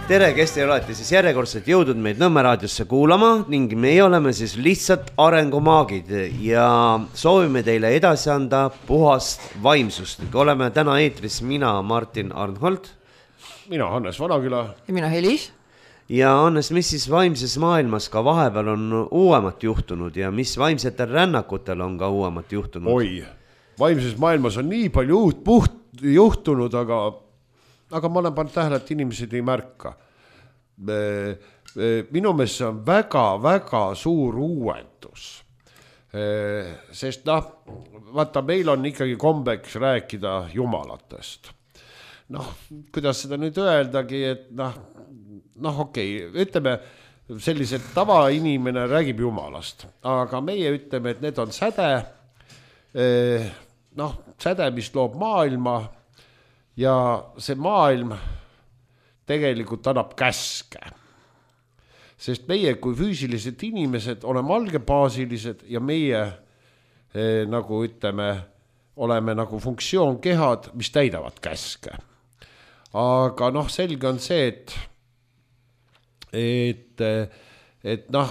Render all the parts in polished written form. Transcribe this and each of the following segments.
Tere, kes te olete siis järjekordselt jõudnud meid Nõmme raadiosse kuulama ning meie oleme siis lihtsalt arengumaagid ja soovime teile edasi anda puhast vaimsust. Oleme täna eetris mina, Martin Arnhold. Mina, Hannes Vanaküla. Ja mina, Helis. Ja Hannes, mis siis vaimses maailmas ka vahepeal on uuemat juhtunud ja mis vaimsetel rännakutel on ka uuemat juhtunud? Oi, vaimses maailmas on nii palju uut juhtunud, aga ma olen pannud tähele, et inimesed ei märka. Minu meelest see on väga suur uuendus. Sest vaata, meil on ikkagi kombeks rääkida jumalatest. Kuidas seda nüüd öeldagi, et okei, ütleme, sellised tavainimene räägib jumalast, aga meie ütleme, et need on säde, säde, mis loob maailma ja see maailm tegelikult annab käske. Sest meie kui füüsilised inimesed oleme algebaasilised ja meie nagu ütleme, oleme nagu funktsioonkehad, mis täidavad käske. Aga selge on see, et ma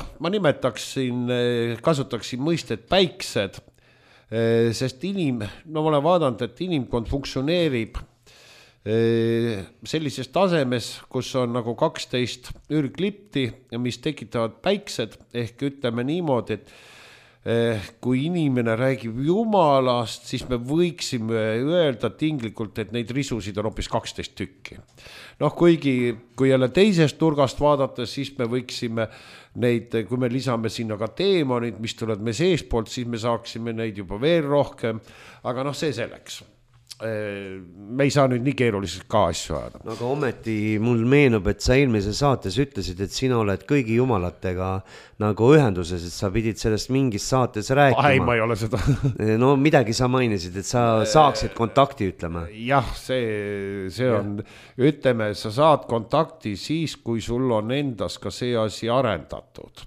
kasutaksin mõistet päiksed, sest ma olen vaadanud, et inimkond funktsioneerib sellises tasemes, kus on nagu 12 ürglipti, mis tekitavad päiksed, ehk ütleme niimoodi, et kui inimene räägib jumalast, siis me võiksime öelda tinglikult, et neid risusid on hoopis 12 tükki. Kuigi, kui jälle teisest nurgast vaadata, siis me võiksime neid, kui me lisame sinna ka teemonid, mis tulevad me seespoolt, siis me saaksime neid juba veel rohkem, aga see selleks. Me ei saa nüüd nii keeruliselt ka asju ajada. Aga ometi mul meenub, et sa eelmises saates ütlesid, et sina oled kõigi jumalatega nagu ühenduses, et sa pidid sellest mingis saates rääkima. Ei, ma ei ole seda. Midagi sa mainisid, et sa saaksid kontakti, ütleme. Jah, see on, ütleme, sa saad kontakti siis, kui sul on endas ka see asi arendatud.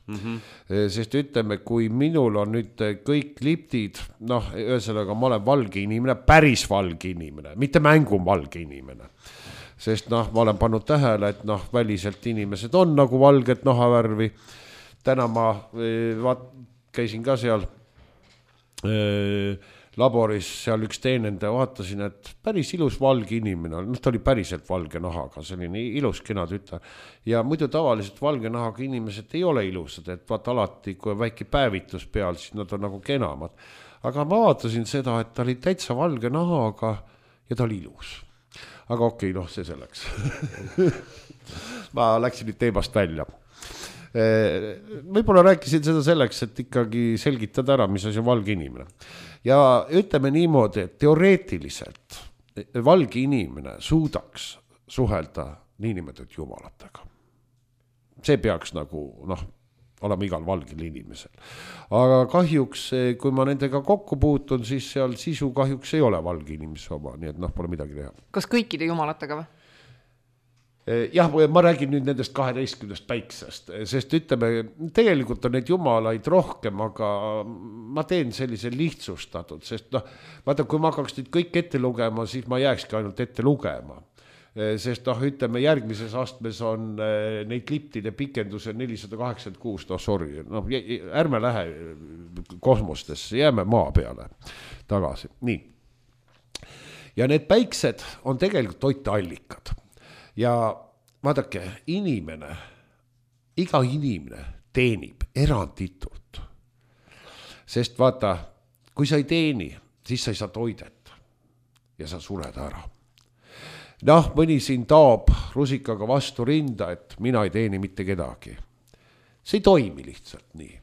Sest ütleme, kui minul on nüüd kõik liptid, ühesõnaga ma olen valge inimene, päris valge inimene, mitte mängum valge inimene. Sest ma olen pannud tähele, et väliselt inimesed on nagu valget nahavärvi. Täna ma käisin ka seal laboris, seal üks teenende, vaatasin, et päris ilus valge inimene. Ta oli päriselt valge nahaga, selline ilus kena tütar. Ja muidu tavaliselt valge nahaga inimesed ei ole ilusad, et vaata alati, kui on väike päevitus peal, siis nad on nagu kenamad. Aga ma vaatasin seda, et ta oli täitsa valge nahaga ja ta oli ilus. Aga okei, see selleks. Ma läksin nüüd teemast välja. Võib-olla rääkisin seda selleks, et ikkagi selgitada ära, mis asi on valge inimene. Ja ütleme niimoodi, et teoreetiliselt valge inimene suudaks suhelda niinimetatud jumalatega. See peaks nagu, olema igal valgel inimesel. Aga kahjuks, kui ma nendega kokku puutun, siis seal sisu kahjuks ei ole valge inimese oma, nii et pole midagi teha. Kas kõikide jumalatega või? Jah, ma räägin nüüd nendest 12 päiksest, sest ütleme, tegelikult on neid jumalaid rohkem, aga ma teen sellise lihtsustatud, sest vaata, kui ma hakkaks nüüd kõik ette lugema, siis ma jääkski ainult ette lugema. Sest ütleme, järgmises astmes on neid liptide pikenduse 486, sorry, ärme lähe kosmostesse, jääme maa peale tagasi. Nii. Ja need päiksed on tegelikult toiteallikad. Ja vaadake, iga inimene teenib eranditult. Sest vaata, kui sa ei teeni, siis sa ei saa toidet ja sa sured ära. Mõni siin taab rusikaga vastu rinda, et mina ei teeni mitte kedagi. See ei toimi lihtsalt nii.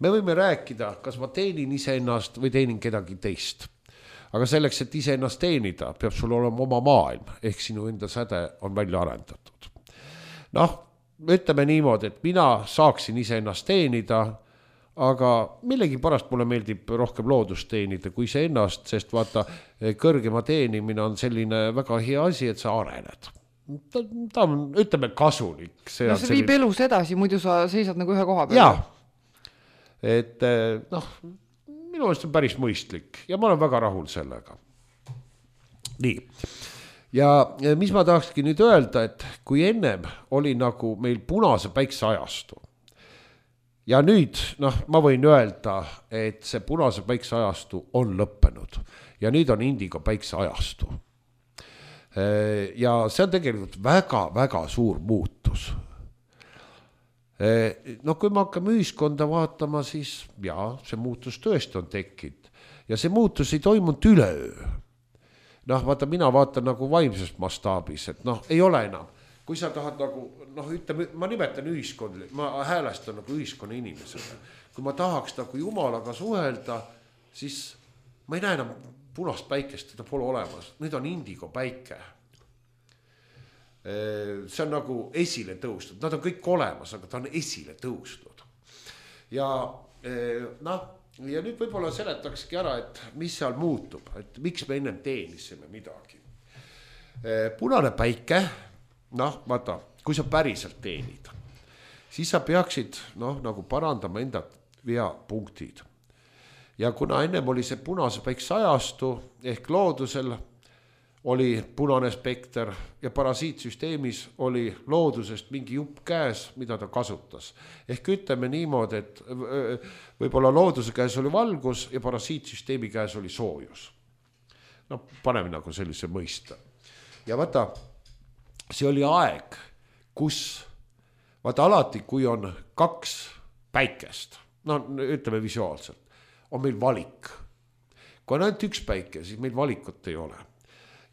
Me võime rääkida, kas ma teenin iseennast või teenin kedagi teist. Aga selleks, et iseennast teenida, peab sul olema oma maailm, ehk sinu enda säde on välja arendatud. Ütleme niimoodi, et mina saaksin iseennast teenida, aga millegi pärast mulle meeldib rohkem loodust teenida kui iseennast, sest vaata, kõrgema teenimine on selline väga hea asi, et sa arened. Ta on, ütleme, kasulik. See viib elus edasi, muidu sa seisad nagu ühe koha peal. Jaa, et minu meelest on päris mõistlik ja ma olen väga rahul sellega. Nii. ja mis ma tahakski nüüd öelda, et kui ennem oli nagu meil punase päikse ajastu ja nüüd, ma võin öelda, et see punase päikse ajastu on lõppenud ja nüüd on indigo päikse ajastu. Ja see on tegelikult väga-väga suur muutus. Kui me hakkame ühiskonda vaatama, siis see muutus tõesti on tekkinud ja see muutus ei toimunud üleöö. Vaata, mina vaatan nagu vaimses mastaabis, et ei ole enam. Kui sa tahad nagu, ütleme, ma nimetan ühiskondli, ma häälestan nagu ühiskonna inimesele. Kui ma tahaks nagu Jumalaga suhelda, siis ma ei näe enam punast päikest, teda pole olemas. Nüüd on indigo päike. See on nagu esile tõustud. Nad on kõik olemas, aga ta on esile tõustud. Ja nüüd võib-olla seletakski ära, et mis seal muutub, et miks me ennem teenisime midagi. Punane päike, vaata, kui sa päriselt teenid, siis sa peaksid nagu parandama enda veapunktid. Ja kuna ennem oli see punase päikse ajastu ehk loodusel oli punane spekter ja parasiitsüsteemis oli loodusest mingi jupp käes, mida ta kasutas. Ehk ütleme niimoodi, et võib-olla looduse käes oli valgus ja parasiitsüsteemi käes oli soojus. Paneme nagu sellise mõista. Ja vaata, see oli aeg, kus vaata alati, kui on kaks päikest, ütleme visuaalselt, on meil valik. Kui on ainult üks päike, siis meil valikut ei ole.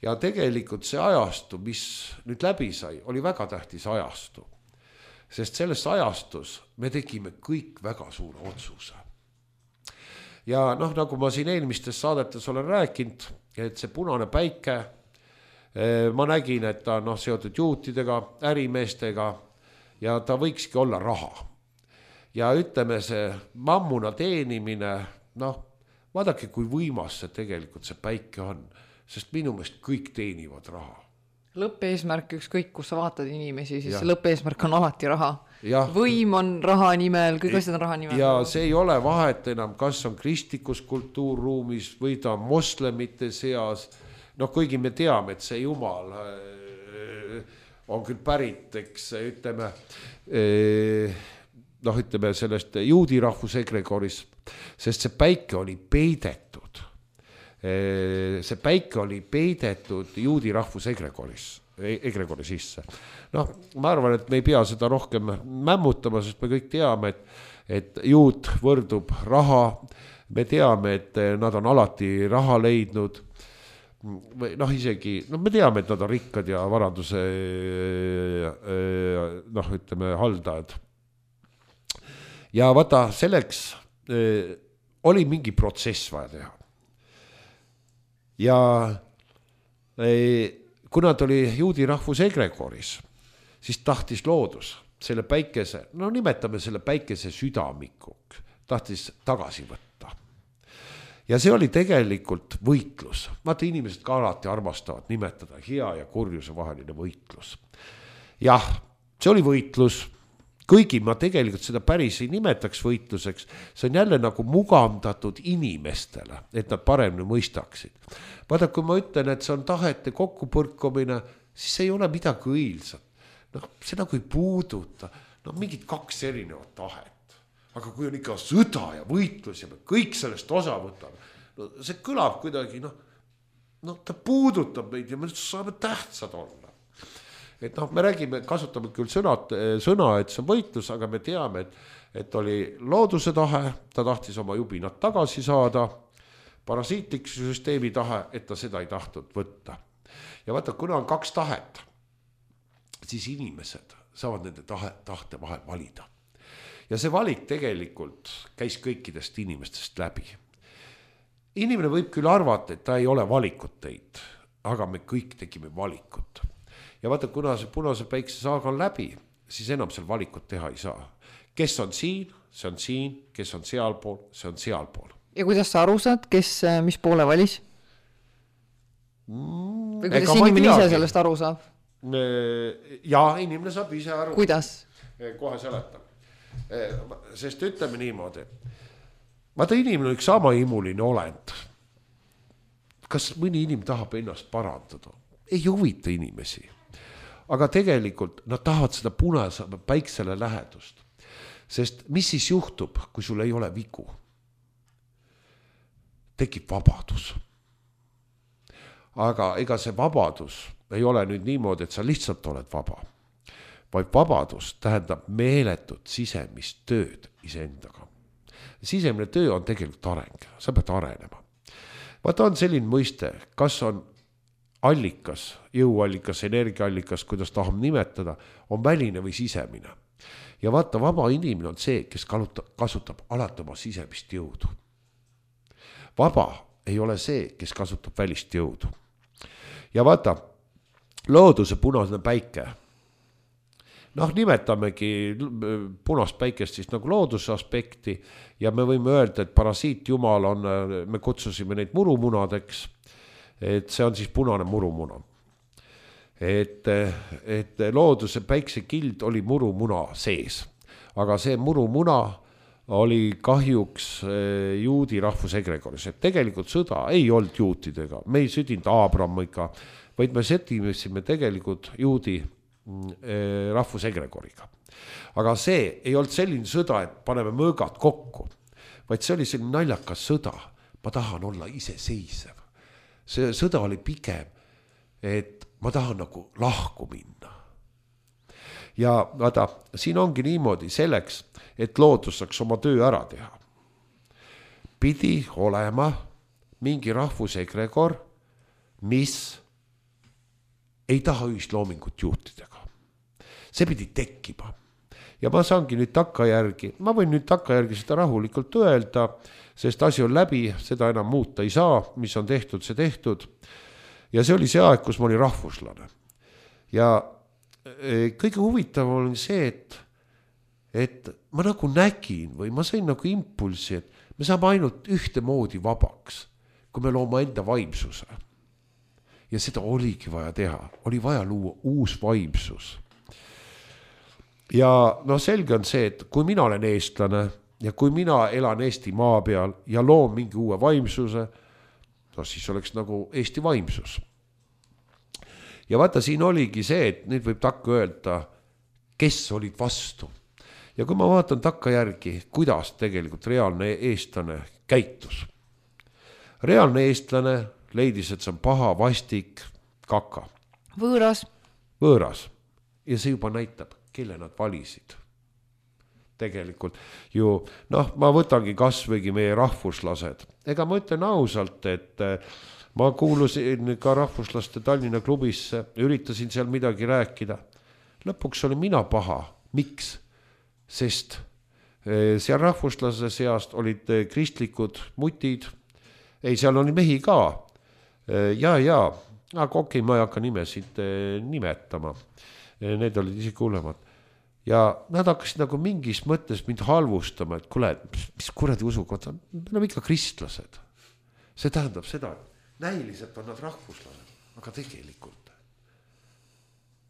Ja tegelikult see ajastu, mis nüüd läbi sai, oli väga tähtis ajastu. Sest selles ajastus me tegime kõik väga suure otsuse. Ja nagu ma siin eelmistes saadetes olen rääkinud, et see punane päike, ma nägin, et ta on seotud juutidega, ärimeestega ja ta võikski olla raha. Ja ütleme see mammuna teenimine, vaadake, kui võimas see tegelikult see päike on. Sest minu meelest kõik teenivad raha. Lõppeesmärk, ükskõik kus sa vaatad inimesi, siis see lõppeesmärk on alati raha. Ja. Võim on raha nimel, kõik asjad on raha nimel. Ja see ei ole vahet enam, kas on kristlikus kultuurruumis või ta on moslemite seas. Kuigi me teame, et see Jumal on küll pärit, eks ütleme sellest juudi rahvuse egregoris, sest see päike oli peidetud. See päike oli peidetud juudi rahvuse egregori sisse. Ma arvan, et me ei pea seda rohkem mämmutama, sest me kõik teame, et juut võrdub raha. Me teame, et nad on alati raha leidnud. Isegi, me teame, et nad on rikkad ja varanduse ütleme, haldajad. Ja vaata, selleks oli mingi protsess vaja teha. Ja kuna ta oli juudi rahvuse egregoris, siis tahtis loodus selle päikese, nimetame selle päikese südamikuks, tahtis tagasi võtta. Ja see oli tegelikult võitlus. Vaata, inimesed ka alati armastavad nimetada hea ja kurjuse vaheline võitlus. Jah, see oli võitlus. Kuigi ma tegelikult seda päris ei nimetaks võitluseks, see on jälle nagu mugavdatud inimestele, et nad paremini mõistaksid. Vaata, kui ma ütlen, et see on tahete kokkupõrkumine, siis see ei ole midagi õilsat. See nagu ei puuduta, mingid kaks erinevat tahet. Aga kui on ikka sõda ja võitlus ja me kõik sellest osa võtame, see kõlab kuidagi, ta puudutab meid ja me saame tähtsad olla. Et me räägime, kasutame küll sõna, et see on võitlus, aga me teame, et oli looduse tahe, ta tahtis oma jubinat tagasi saada, parasiitlik süsteemi tahe, et ta seda ei tahtnud võtta. Ja vaata, kuna on kaks tahet, siis inimesed saavad nende tahte vahel valida. Ja see valik tegelikult käis kõikidest inimestest läbi. Inimene võib küll arvata, et ta ei ole valikut teinud, aga me kõik tegime valikut. Ja vaata, kuna see punase päikse saaga on läbi, siis enam seal valikut teha ei saa. Kes on siin, see on siin, kes on sealpool, see on sealpool. Ja kuidas sa aru saad, kes mis poole valis? Või kuidas inimene ise sellest aru saab? Ja, inimene saab ise aru. Kuidas? Kohe seletan. Sest ütleme niimoodi. Vaata, inimene on üks sama imuline olend. Kas mõni inimene tahab ennast parandada? ei huvita inimesi. Aga tegelikult nad tahavad seda punase päiksele lähedust. Sest mis siis juhtub, kui sul ei ole vigu? Tekib vabadus. Aga ega see vabadus ei ole nüüd niimoodi, et sa lihtsalt oled vaba. Vaid vabadus tähendab meeletut sisemist tööd iseendaga. Sisemine töö on tegelikult areng, sa pead arenema. Vaata on selline mõiste, kas on allikas, jõuallikas, energiaallikas, kuidas tahame nimetada, on väline või sisemine. Ja vaata, vaba inimene on see, kes kasutab alati oma sisemist jõudu. Vaba ei ole see, kes kasutab välist jõudu. Ja vaata, looduse punasene päike. Nimetamegi punast päikest siis nagu looduse aspekti ja me võime öelda, et parasiit jumal on, me kutsusime neid murumunadeks, et see on siis punane murumuna. Et looduse päiksekild oli murumuna sees, aga see murumuna oli kahjuks juudi rahvusegregoris, et tegelikult sõda ei olnud juutidega, me ei sõdinud Aabramiga, vaid me sõdimesime tegelikult juudi rahvusegregoriga. Aga see ei olnud selline sõda, et paneme mõõgad kokku, vaid see oli selline naljakas sõda, ma tahan olla iseseisev. See sõda oli pigem, et ma tahan nagu lahku minna. Ja vaata, siin ongi niimoodi selleks, et loodus saaks oma töö ära teha. Pidi olema mingi rahvusegregor, mis ei taha ühisloomingut juhtidega. See pidi tekkima. Ja ma saangi nüüd takkajärgi, ma võin nüüd takkajärgi seda rahulikult öelda, sest asi on läbi, seda enam muuta ei saa, mis on tehtud, see tehtud. Ja see oli see aeg, kus ma olin rahvuslane. Ja kõige huvitavam oli see, et ma nagu nägin või ma sain nagu impulsi, et me saame ainult ühte moodi vabaks, kui me looma enda vaimsuse. Ja seda oligi vaja teha, oli vaja luua uus vaimsus. Ja selge on see, et kui mina olen eestlane ja kui mina elan Eesti maa peal ja loon mingi uue vaimsuse, siis oleks nagu Eesti vaimsus. Ja vaata, siin oligi see, et nüüd võib takka öelda, kes olid vastu. Ja kui ma vaatan takka järgi, kuidas tegelikult reaalne eestlane käitus. Reaalne eestlane leidis, et see on paha, vastik, kaka. Võõras. Ja see juba näitab, kelle nad valisid. Tegelikult ju, ma võtangi kasvõigi meie rahvuslased. Ega ma ütlen ausalt, et ma kuulusin ka rahvuslaste Tallinna klubisse, üritasin seal midagi rääkida. Lõpuks oli mina paha. Miks? Sest seal rahvuslase seast olid kristlikud mutid. Ei, seal oli mehi ka. Aga okei, ma ei hakka nimesid nimetama. Need olid isegi hullemad. Ja nad hakkasid nagu mingis mõttes mind halvustama, et kuule, mis kuradi usukond on? Me oleme ikka kristlased. See tähendab seda, et näiliselt on nad rahvuslased, aga tegelikult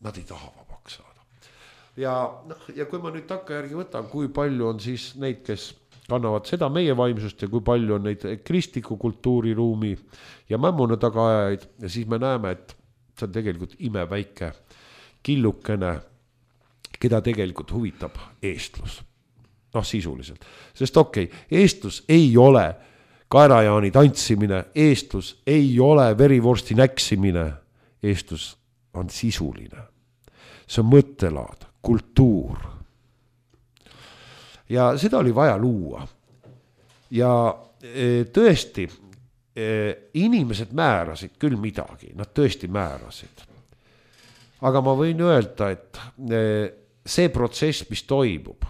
nad ei taha vabaks saada. Ja kui ma nüüd takka järgi võtan, kui palju on siis neid, kes kannavad seda meie vaimsust ja kui palju on neid kristliku kultuuriruumi ja mämmuna tagaajaid, ja siis me näeme, et see on tegelikult imeväike killukene, keda tegelikult huvitab eestlus. Sisuliselt. Sest eestlus ei ole kaerajaani tantsimine, eestlus ei ole verivorsti näksimine, eestlus on sisuline. See on mõttelaad, kultuur. Ja seda oli vaja luua. Ja tõesti, inimesed määrasid küll midagi, nad tõesti määrasid. Aga ma võin öelda, et see protsess, mis toimub,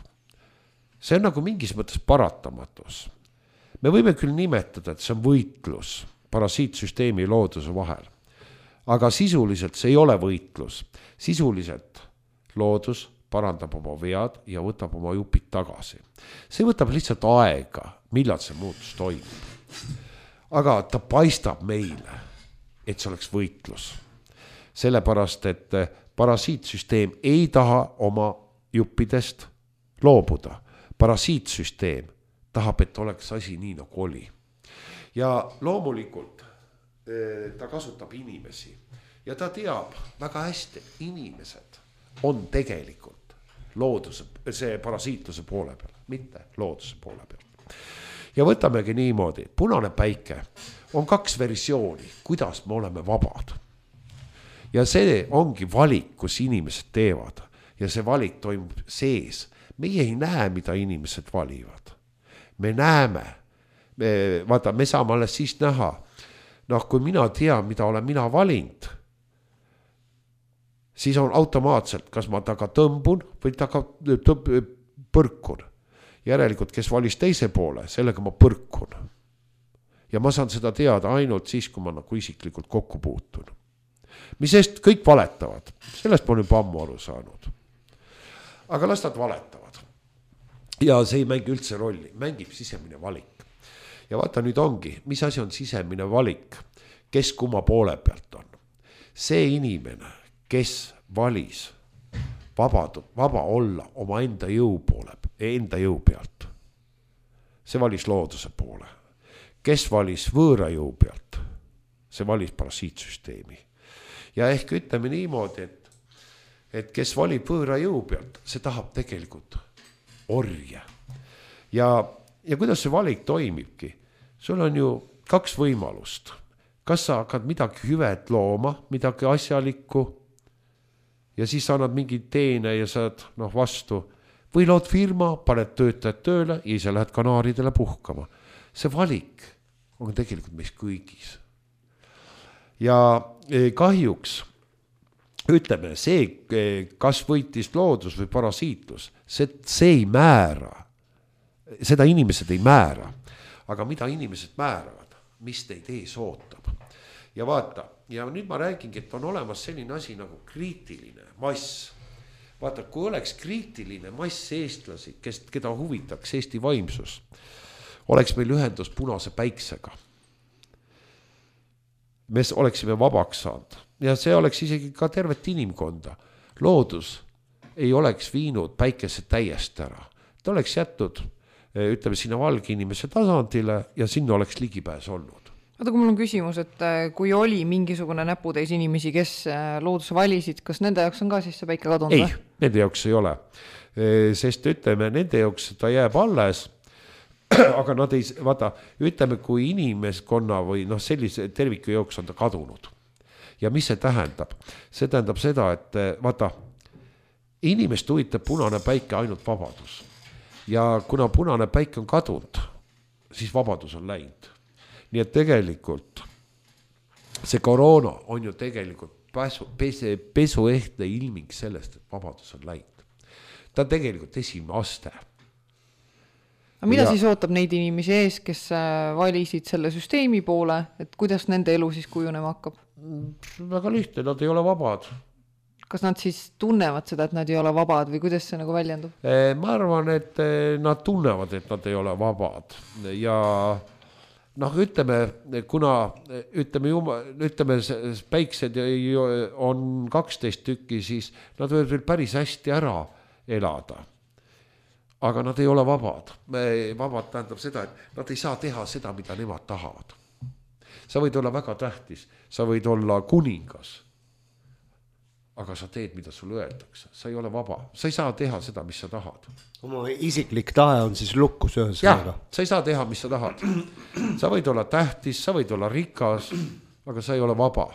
see on nagu mingis mõttes paratamatus. Me võime küll nimetada, et see on võitlus parasiitsüsteemi ja looduse vahel. Aga sisuliselt see ei ole võitlus. Sisuliselt loodus parandab oma vead ja võtab oma jupid tagasi. See võtab lihtsalt aega, millal see muutus toimub. Aga ta paistab meile, et see oleks võitlus. Sellepärast, et parasiitsüsteem ei taha oma juppidest loobuda. Parasiitsüsteem tahab, et oleks asi nii nagu oli. Ja loomulikult ta kasutab inimesi. ja ta teab väga hästi, inimesed on tegelikult looduse, see parasiitluse poole peal, mitte looduse poole peal. Ja võtamegi niimoodi, punane päike on 2 versiooni, kuidas me oleme vabad. Ja see ongi valik, kus inimesed teevad ja see valik toimub sees. Meie ei näe, mida inimesed valivad. Me näeme, me saame alles siis näha. Noh, kui mina tean, mida olen mina valinud, siis on automaatselt, kas ma taga tõmbun või taga põrkun. Järelikult, kes valis teise poole, sellega ma põrkun. Ja ma saan seda teada ainult siis, kui ma nagu isiklikult kokku puutun. Mis eest kõik valetavad, sellest ma olen juba ammu aru saanud. Aga las nad valetavad. Ja see ei mängi üldse rolli, mängib sisemine valik. Ja vaata nüüd ongi, mis asi on sisemine valik, kes kumma poole pealt on. See inimene, kes valis vaba olla oma enda jõu pealt, see valis looduse poole. Kes valis võõra jõu pealt, see valis parasiitsüsteemi. Ja ehk ütleme niimoodi, et kes valib võõra jõu pealt, see tahab tegelikult orje. Ja kuidas see valik toimibki? Sul on ju 2 võimalust. Kas sa hakkad midagi hüvet looma, midagi asjalikku ja siis annad mingid teene ja saad vastu. Või lood firma, paned töötajad tööle ja ise lähed kanaaridele puhkama. See valik on tegelikult meis kõigis. Ja kahjuks ütleme, see, kas võitis loodus või parasiitlus, see ei määra. Seda inimesed ei määra. Aga mida inimesed määravad, mis teid ees ootab. Ja vaata, ja nüüd ma räägingi, et on olemas selline asi nagu kriitiline mass. Vaata, kui oleks kriitiline mass eestlasi, keda huvitaks Eesti vaimsus, oleks meil ühendus punase päiksega. Me oleksime vabaks saanud ja see oleks isegi ka tervet inimkonda. Loodus ei oleks viinud päikese täiesti ära. Ta oleks jätnud, ütleme, sinna valge inimese tasandile ja sinna oleks ligipääs olnud. Oota, kui mul on küsimus, et kui oli mingisugune näputäis inimesi, kes looduse valisid, kas nende jaoks on ka siis see päike kadunud? Ei, nende jaoks ei ole. Sest ütleme, nende jaoks ta jääb alles. Aga nad ei, vaata, ütleme, kui inimeskonna või sellise terviku jooks on ta kadunud. Ja mis see tähendab? See tähendab seda, et vaata, inimest huvitab punane päike ainult vabadus. Ja kuna punane päike on kadunud, siis vabadus on läinud. Nii et tegelikult see koroona on ju tegelikult pesuehtne ilming sellest, et vabadus on läinud. Ta on tegelikult esimene aste. Mida siis ootab neid inimesi ees, kes valisid selle süsteemi poole, et kuidas nende elu siis kujunema hakkab? Väga lihtne, nad ei ole vabad. Kas nad siis tunnevad seda, et nad ei ole vabad või kuidas see nagu väljendub? Ma arvan, et nad tunnevad, et nad ei ole vabad. Ja ütleme, kuna ütleme päiksed on 12 tükki, siis nad võivad veel päris hästi ära elada. Aga nad ei ole vabad. Vabad tähendab seda, et nad ei saa teha seda, mida nemad tahavad. Sa võid olla väga tähtis, sa võid olla kuningas, aga sa teed, mida sulle öeldakse. Sa ei ole vaba, sa ei saa teha seda, mis sa tahad. Oma isiklik tahe on siis lukkus ühesõnaga. Jah, sa ei saa teha, mis sa tahad. Sa võid olla tähtis, sa võid olla rikas, aga sa ei ole vaba.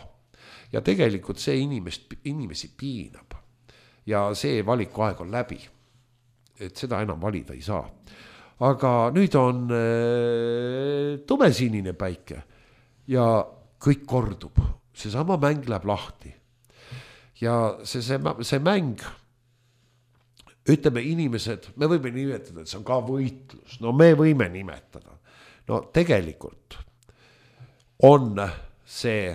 Ja tegelikult see inimesi piinab. Ja see valikuaeg on läbi. Et seda enam valida ei saa. Aga nüüd on tumesinine päike ja kõik kordub. Seesama mäng läheb lahti. Ja see mäng, ütleme inimesed, me võime nimetada, et see on ka võitlus. No me võime nimetada. No tegelikult on see,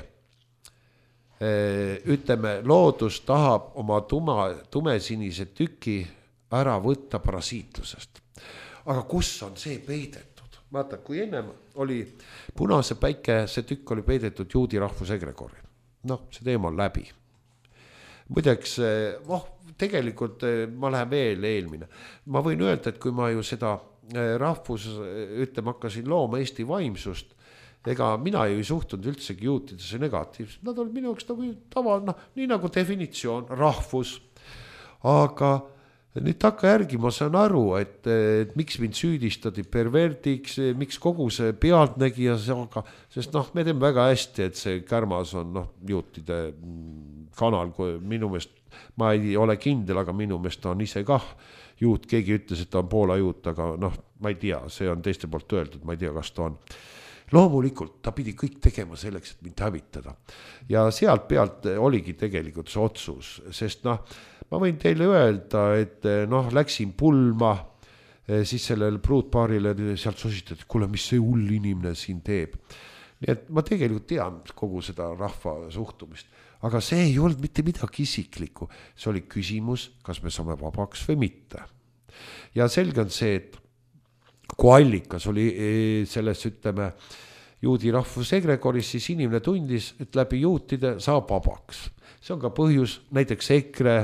ütleme, loodus tahab oma tumesinise tüki ära võtta parasiitlusest. Aga kus on see peidetud? Vaata, kui ennem oli punase päike, see tükk oli peidetud juudi rahvusegregori. See teema on läbi. Muideks, tegelikult ma lähen veel eelmine. Ma võin öelda, et kui ma ju seda hakkasin looma Eesti vaimsust, ega mina ei suhtunud üldsegi juutidesse negatiivselt, nad olid minu jaoks nagu tava, nii nagu definitsioon, rahvus, aga nüüd takkajärgi ma saan aru, et miks mind süüdistati perverdiks, miks kogu see pealtnägija, sest me teeme väga hästi, et see Kärmas on juutide kanal, kui minu meelest, ma ei ole kindel, aga minu meelest ta on ise kah juut, keegi ütles, et ta on Poola juut, aga ma ei tea, see on teiste poolt öeldud, ma ei tea, kas ta on. Loomulikult ta pidi kõik tegema selleks, et mind hävitada. Ja sealt pealt oligi tegelikult see otsus, sest ma võin teile öelda, et läksin pulma, siis sellel pruutpaarile sealt sosistati, et kuule, mis see hull inimene siin teeb. Nii et ma tegelikult tean kogu seda rahva suhtumist, aga see ei olnud mitte midagi isiklikku. See oli küsimus, kas me saame vabaks või mitte. Ja selge on see, et kui allikas oli selles, ütleme, juudi rahvusegregoris, siis inimene tundis, et läbi juutide saab vabaks. See on ka põhjus, näiteks EKRE,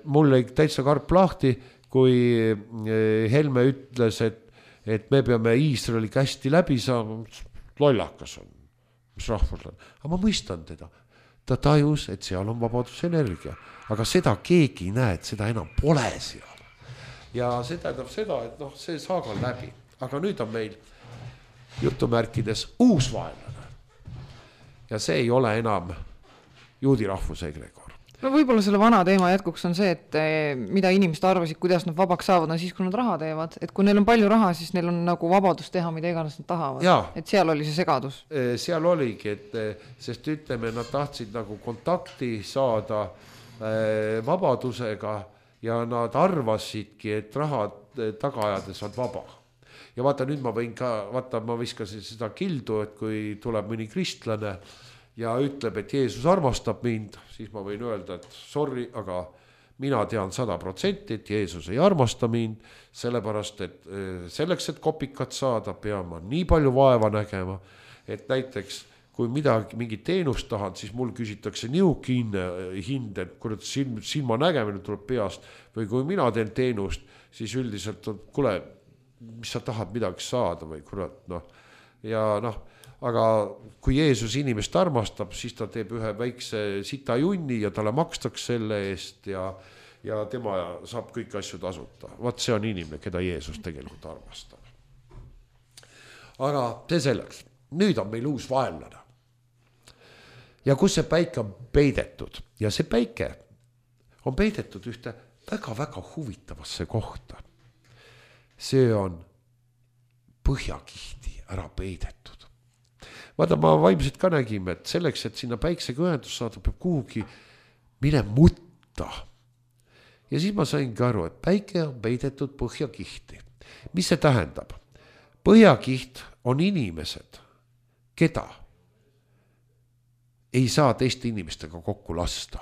mul oli täitsa karp lahti, kui Helme ütles, et me peame Iisraeli hästi läbi saama, lollakas on, mis rahvus on. Aga ma mõistan teda. Ta tajus, et seal on vabadusenergia, aga seda keegi ei näe, et seda enam pole seal. Ja see tähendab seda, et see saaga on läbi, aga nüüd on meil jutumärkides uus vaenlane. Ja see ei ole enam juudi rahvusegregor. No võib-olla selle vana teema jätkuks on see, et mida inimesed arvasid, kuidas nad vabaks saavad, on siis, kui nad raha teevad. Et kui neil on palju raha, siis neil on nagu vabadus teha, mida iganes nad tahavad. Ja. Et seal oli see segadus. Seal oligi, sest ütleme, nad tahtsid nagu kontakti saada vabadusega ja nad arvasidki, et raha tagaajades on vaba. Ja vaata, nüüd ma võin ka, ma viskasin seda kildu, et kui tuleb mõni kristlane ja ütleb, et Jeesus armastab mind, siis ma võin öelda, et sorry, aga mina tean 100%, et Jeesus ei armasta mind, sellepärast, et selleks, et kopikat saada, pean ma nii palju vaeva nägema, et näiteks kui mingit teenust tahan, siis mul küsitakse niuki hind, et kurat silma nägemine tuleb peast, või kui mina teen teenust, siis üldiselt on, kuule, mis sa tahad midagi saada või kurat, ja aga kui Jeesus inimest armastab, siis ta teeb ühe väikse sita junni ja talle makstaks selle eest ja tema saab kõik asju tasuta. Vaat see on inimene, keda Jeesus tegelikult armastab. Aga see selleks. Nüüd on meil uus vaenlane. Ja kus see päike on peidetud? Ja see päike on peidetud ühte väga-väga huvitavasse kohta. See on põhjakihti ära peidetud. Vaata, ma vaimselt ka nägime, et selleks, et sinna päiksega ühendus saada, peab kuhugi mine mutta. Ja siis ma saingi aru, et päike on peidetud põhjakihti. Mis see tähendab? Põhjakiht on inimesed, keda ei saa teiste inimestega kokku lasta.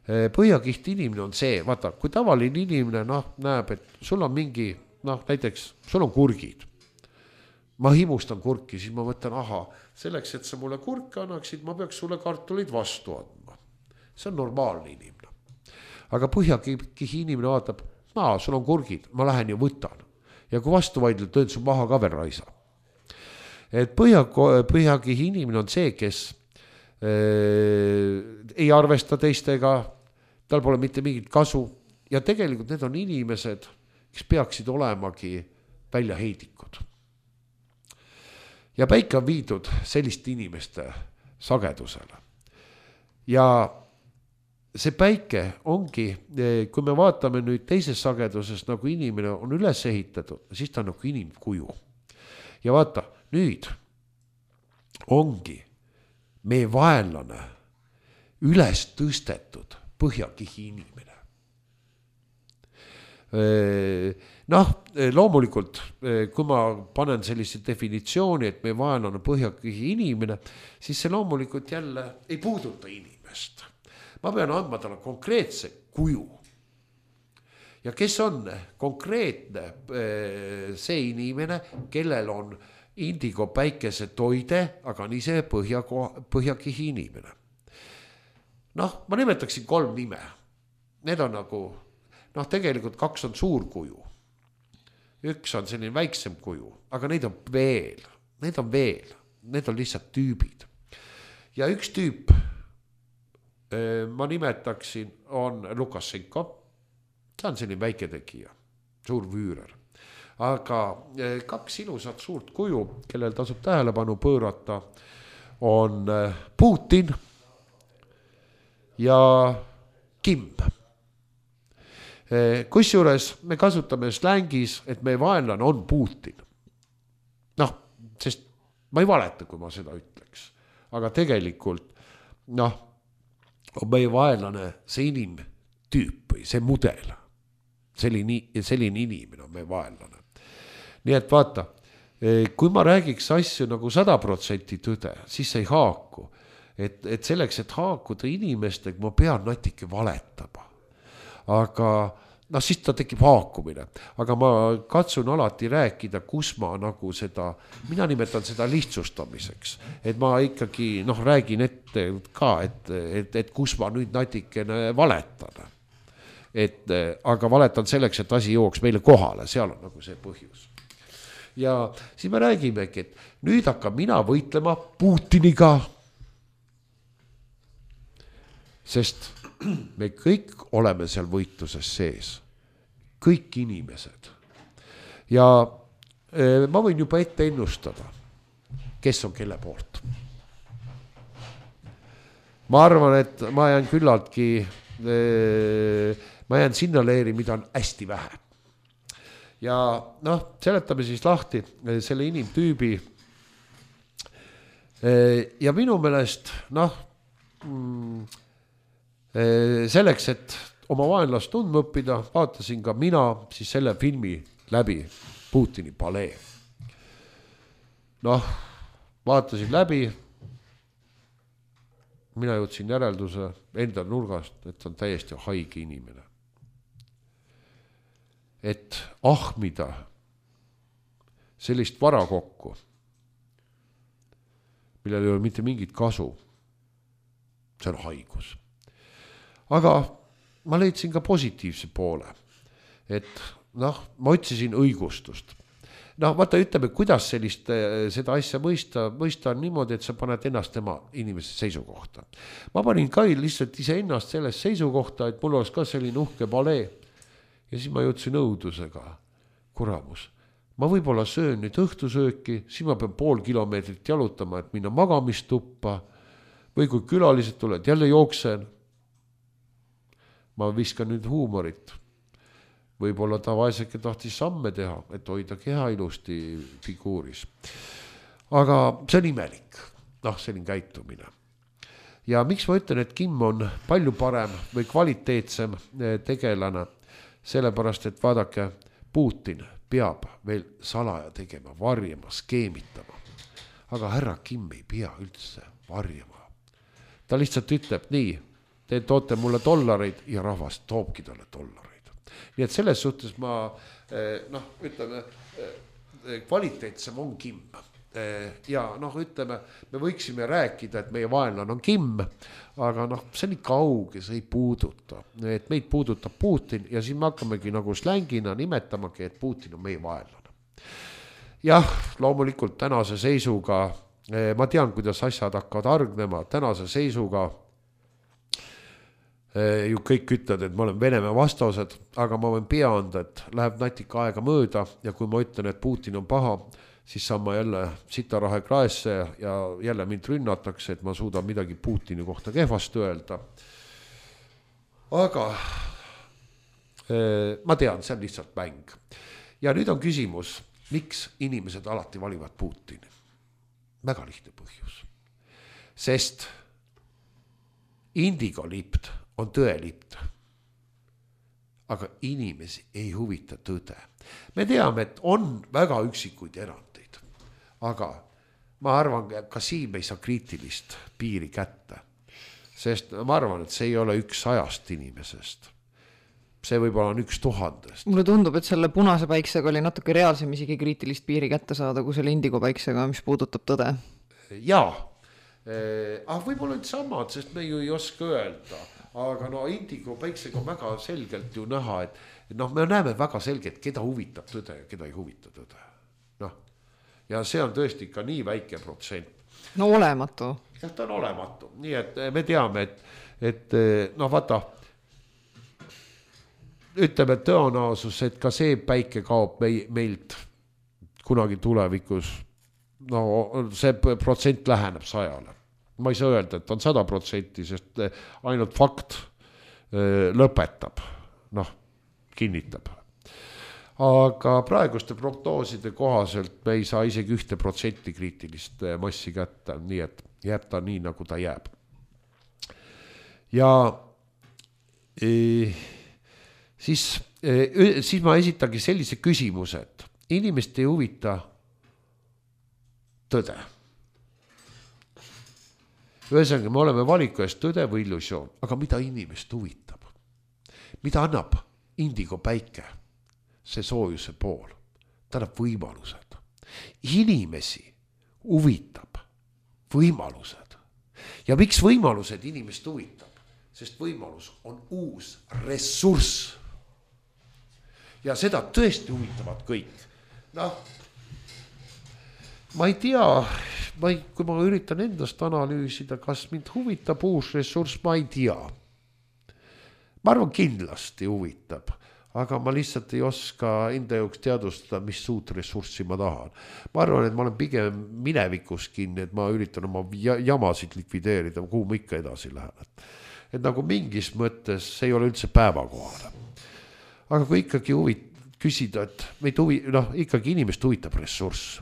Põhjakiht inimene on see, vaata, kui tavaline inimene näeb, et sul on mingi, näiteks sul on kurgid. Ma himustan kurki, siis ma võtan, selleks, et sa mulle kurke annaksid, ma peaks sulle kartulid vastu andma. See on normaalne inimene. Aga põhjakihi inimene vaatab, sul on kurgid, ma lähen ja võtan. Ja kui vastu vaidled, tööd su maha ka veel raisa. Et põhjakihi inimene on see, kes ei arvesta teistega, tal pole mitte mingit kasu. Ja tegelikult need on inimesed, kes peaksid olemagi väljaheidikud. Ja päike on viidud selliste inimeste sagedusele. Ja see päike ongi, kui me vaatame nüüd teises sageduses, nagu inimene on üles ehitatud, siis ta on nagu inimkuju. Ja vaata, nüüd ongi meie vaenlane üles tõstetud põhjakihi inimene. Loomulikult, kui ma panen sellise definitsiooni, et meie vaenlane põhjakihi inimene, siis see loomulikult jälle ei puuduta inimest. Ma pean andma talle konkreetse kuju. Ja kes on konkreetne see inimene, kellel on indigo päikese toide, aga on ise põhjakihi inimene. Ma nimetaksin 3 nime. Need on nagu tegelikult 2 on suur kuju. 1 on selline väiksem kuju, aga neid on veel. need on veel, need on lihtsalt tüübid. Ja üks tüüp, ma nimetaksin, on Lukašenko. Ta on selline väike tegija, suur vüürer. Aga kaks ilusat suurt kuju, kellel tasub tähelepanu pöörata, on Putin ja Kim. Kusjuures me kasutame slängis, et meie vaenlane on Putin. Noh, sest ma ei valeta, kui ma seda ütleks. Aga tegelikult, noh, on meie vaenlane see inimtüüp või see mudel. Selline inimene on meie vaenlane. Nii et vaata, kui ma räägiks asju nagu 100% tõde, siis ei haaku. Et selleks, et haakuda inimestega, ma pean natuke valetama. Aga siis ta tekib haakumine. Aga ma katsun alati rääkida, kus ma nagu seda, mina nimetan seda lihtsustamiseks. Et ma ikkagi räägin ette ka, et kus ma nüüd natikene valetan. Aga valetan selleks, et asi jooks meile kohale, seal on nagu see põhjus. Ja siis me räägimegi, et nüüd hakkab mina võitlema Putiniga. Sest me kõik oleme seal võitluses sees. Kõik inimesed. Ja ma võin juba ette ennustada, kes on kelle poolt. Ma arvan, et ma jään küllaltki, ma jään sinna leeri, mida on hästi vähe. Ja seletame siis lahti selle inimtüübi. Ja minu meelest, selleks, et oma vaenlast tundma õppida, vaatasin ka mina siis selle filmi läbi, Putini palee. Vaatasin läbi, mina jõudsin järelduse enda nurgast, et on täiesti haige inimene. Et ahmida sellist vara kokku, millel ei ole mitte mingit kasu, see on haigus. Aga ma leidsin ka positiivse poole, et ma otsisin õigustust. Vaata, ütleme, kuidas seda asja mõista on niimoodi, et sa paned ennast tema inimese seisukohta. Ma panin ka lihtsalt ise ennast sellest seisukohta, et mul oleks ka selline uhke palee. Ja siis ma jõudsin õudusega, kuramus. Ma võib-olla söön nüüd õhtusööki, siis ma pean 5 kilomeetrit jalutama, et minna magamistuppa. Või kui külalised tuled, jälle jooksen. Ma viskan nüüd huumorit. Võib-olla ta vaeseke tahtis samme teha, et hoida keha ilusti figuuris. Aga see on imelik, selline käitumine. Ja miks ma ütlen, et Kim on palju parem või kvaliteetsem tegelane, sellepärast, et vaadake, Putin peab veel salaja tegema, varjama, skeemitama. Aga härra Kim ei pea üldse varjama. Ta lihtsalt ütleb nii, te toote mulle dollareid ja rahvas toobki talle dollareid. Nii et selles suhtes ma, ütleme, kvaliteetsem on Kim. Ja ütleme, me võiksime rääkida, et meie vaenlane on Kim, aga see on nii kauge, see ei puuduta. Et meid puudutab Putin ja siis me hakkamegi nagu slängina nimetamagi, et Putin on meie vaenlane. Jah, loomulikult tänase seisuga, ma tean, kuidas asjad hakkavad argnema, tänase seisuga ju kõik ütlevad, et ma olen Venemaa vastased, aga ma võin pea anda, et läheb natika aega mööda ja kui ma ütlen, et Putin on paha, siis saan ma jälle sitarahe kraesse ja jälle mind rünnatakse, et ma suudan midagi Putini kohta kehvast öelda. Aga ma tean, see on lihtsalt mäng. Ja nüüd on küsimus, miks inimesed alati valivad Putini? Väga lihtne põhjus. Sest indigolipt on tõelipt. Aga inimesi ei huvita tõde. Me teame, et on väga üksikuid erandeid. Aga ma arvan, ka siin me ei saa kriitilist piiri kätte. Sest ma arvan, et see ei ole 100 inimesest. See võib-olla on 1000. Mulle tundub, et selle punase päiksega oli natuke reaalsem isegi kriitilist piiri kätte saada, kui selle indigo päiksega, mis puudutab tõde. Jaa. Võib-olla nüüd samad, sest me ju ei oska öelda. Aga indigo päiksega on väga selgelt ju näha, et me näeme väga selgelt, keda huvitab tõde ja keda ei huvita tõde. ja see on tõesti ikka nii väike protsent. No olematu. Ta on olematu, nii et me teame, et noh vaata, ütleme tõenäosus, et ka see päike kaob meilt kunagi tulevikus, no see protsent läheneb 100. Ma ei saa öelda, et on 100%, sest ainult fakt lõpetab, noh, kinnitab. Aga praeguste prognooside kohaselt me ei saa isegi 1% kriitilist massi kätte, nii et jääb ta nii, nagu ta jääb. Ja siis ma esitagi sellise küsimuse, et inimest ei huvita tõde. Ühesõnaga, me oleme valiku eest tõde või illusioon, aga mida inimest huvitab? Mida annab indigo päike? See soojuse pool, ta annab võimalused. Inimesi huvitab võimalused. Ja miks võimalused inimest huvitab? Sest võimalus on uus ressurss. Ja seda tõesti huvitavad kõik. Noh, ma ei tea, kui ma üritan endast analüüsida, kas mind huvitab uus ressurss, ma ei tea. Ma arvan, kindlasti huvitab. Aga ma lihtsalt ei oska enda jooks teadvustada, mis suut ressurssi ma tahan. Ma arvan, et ma olen pigem minevikus kinni, et ma üritan oma jamasid likvideerida, kuhu ma ikka edasi lähen. Et nagu mingis mõttes see ei ole üldse päevakohale. Aga kui ikkagi küsida, et meid ikkagi inimest huvitab ressurss.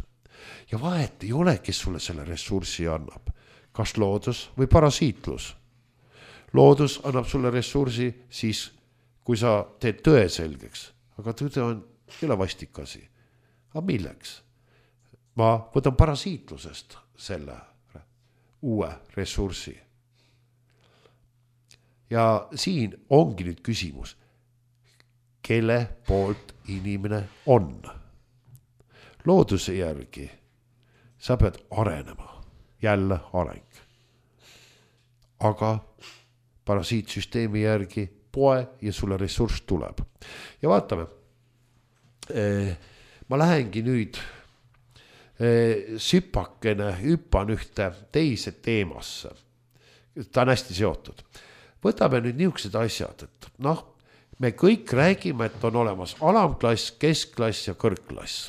Ja vahet ei ole, kes sulle selle ressurssi annab. Kas loodus või parasiitlus. Loodus annab sulle ressursi siis, kui sa teed tõe selgeks, aga tõde on jälle vastikasi. Aga milleks? Ma võtan parasiitlusest selle uue ressursi. Ja siin ongi nüüd küsimus, kelle poolt inimene on. Looduse järgi sa pead arenema, jälle areng. Aga parasiitsüsteemi järgi poe ja sulle ressurss tuleb. Ja vaatame, ma lähengi nüüd hüppan ühte teise teemasse. Ta on hästi seotud. Võtame nüüd niisugused asjad, et noh, me kõik räägime, et on olemas alamklass, keskklass ja kõrgklass.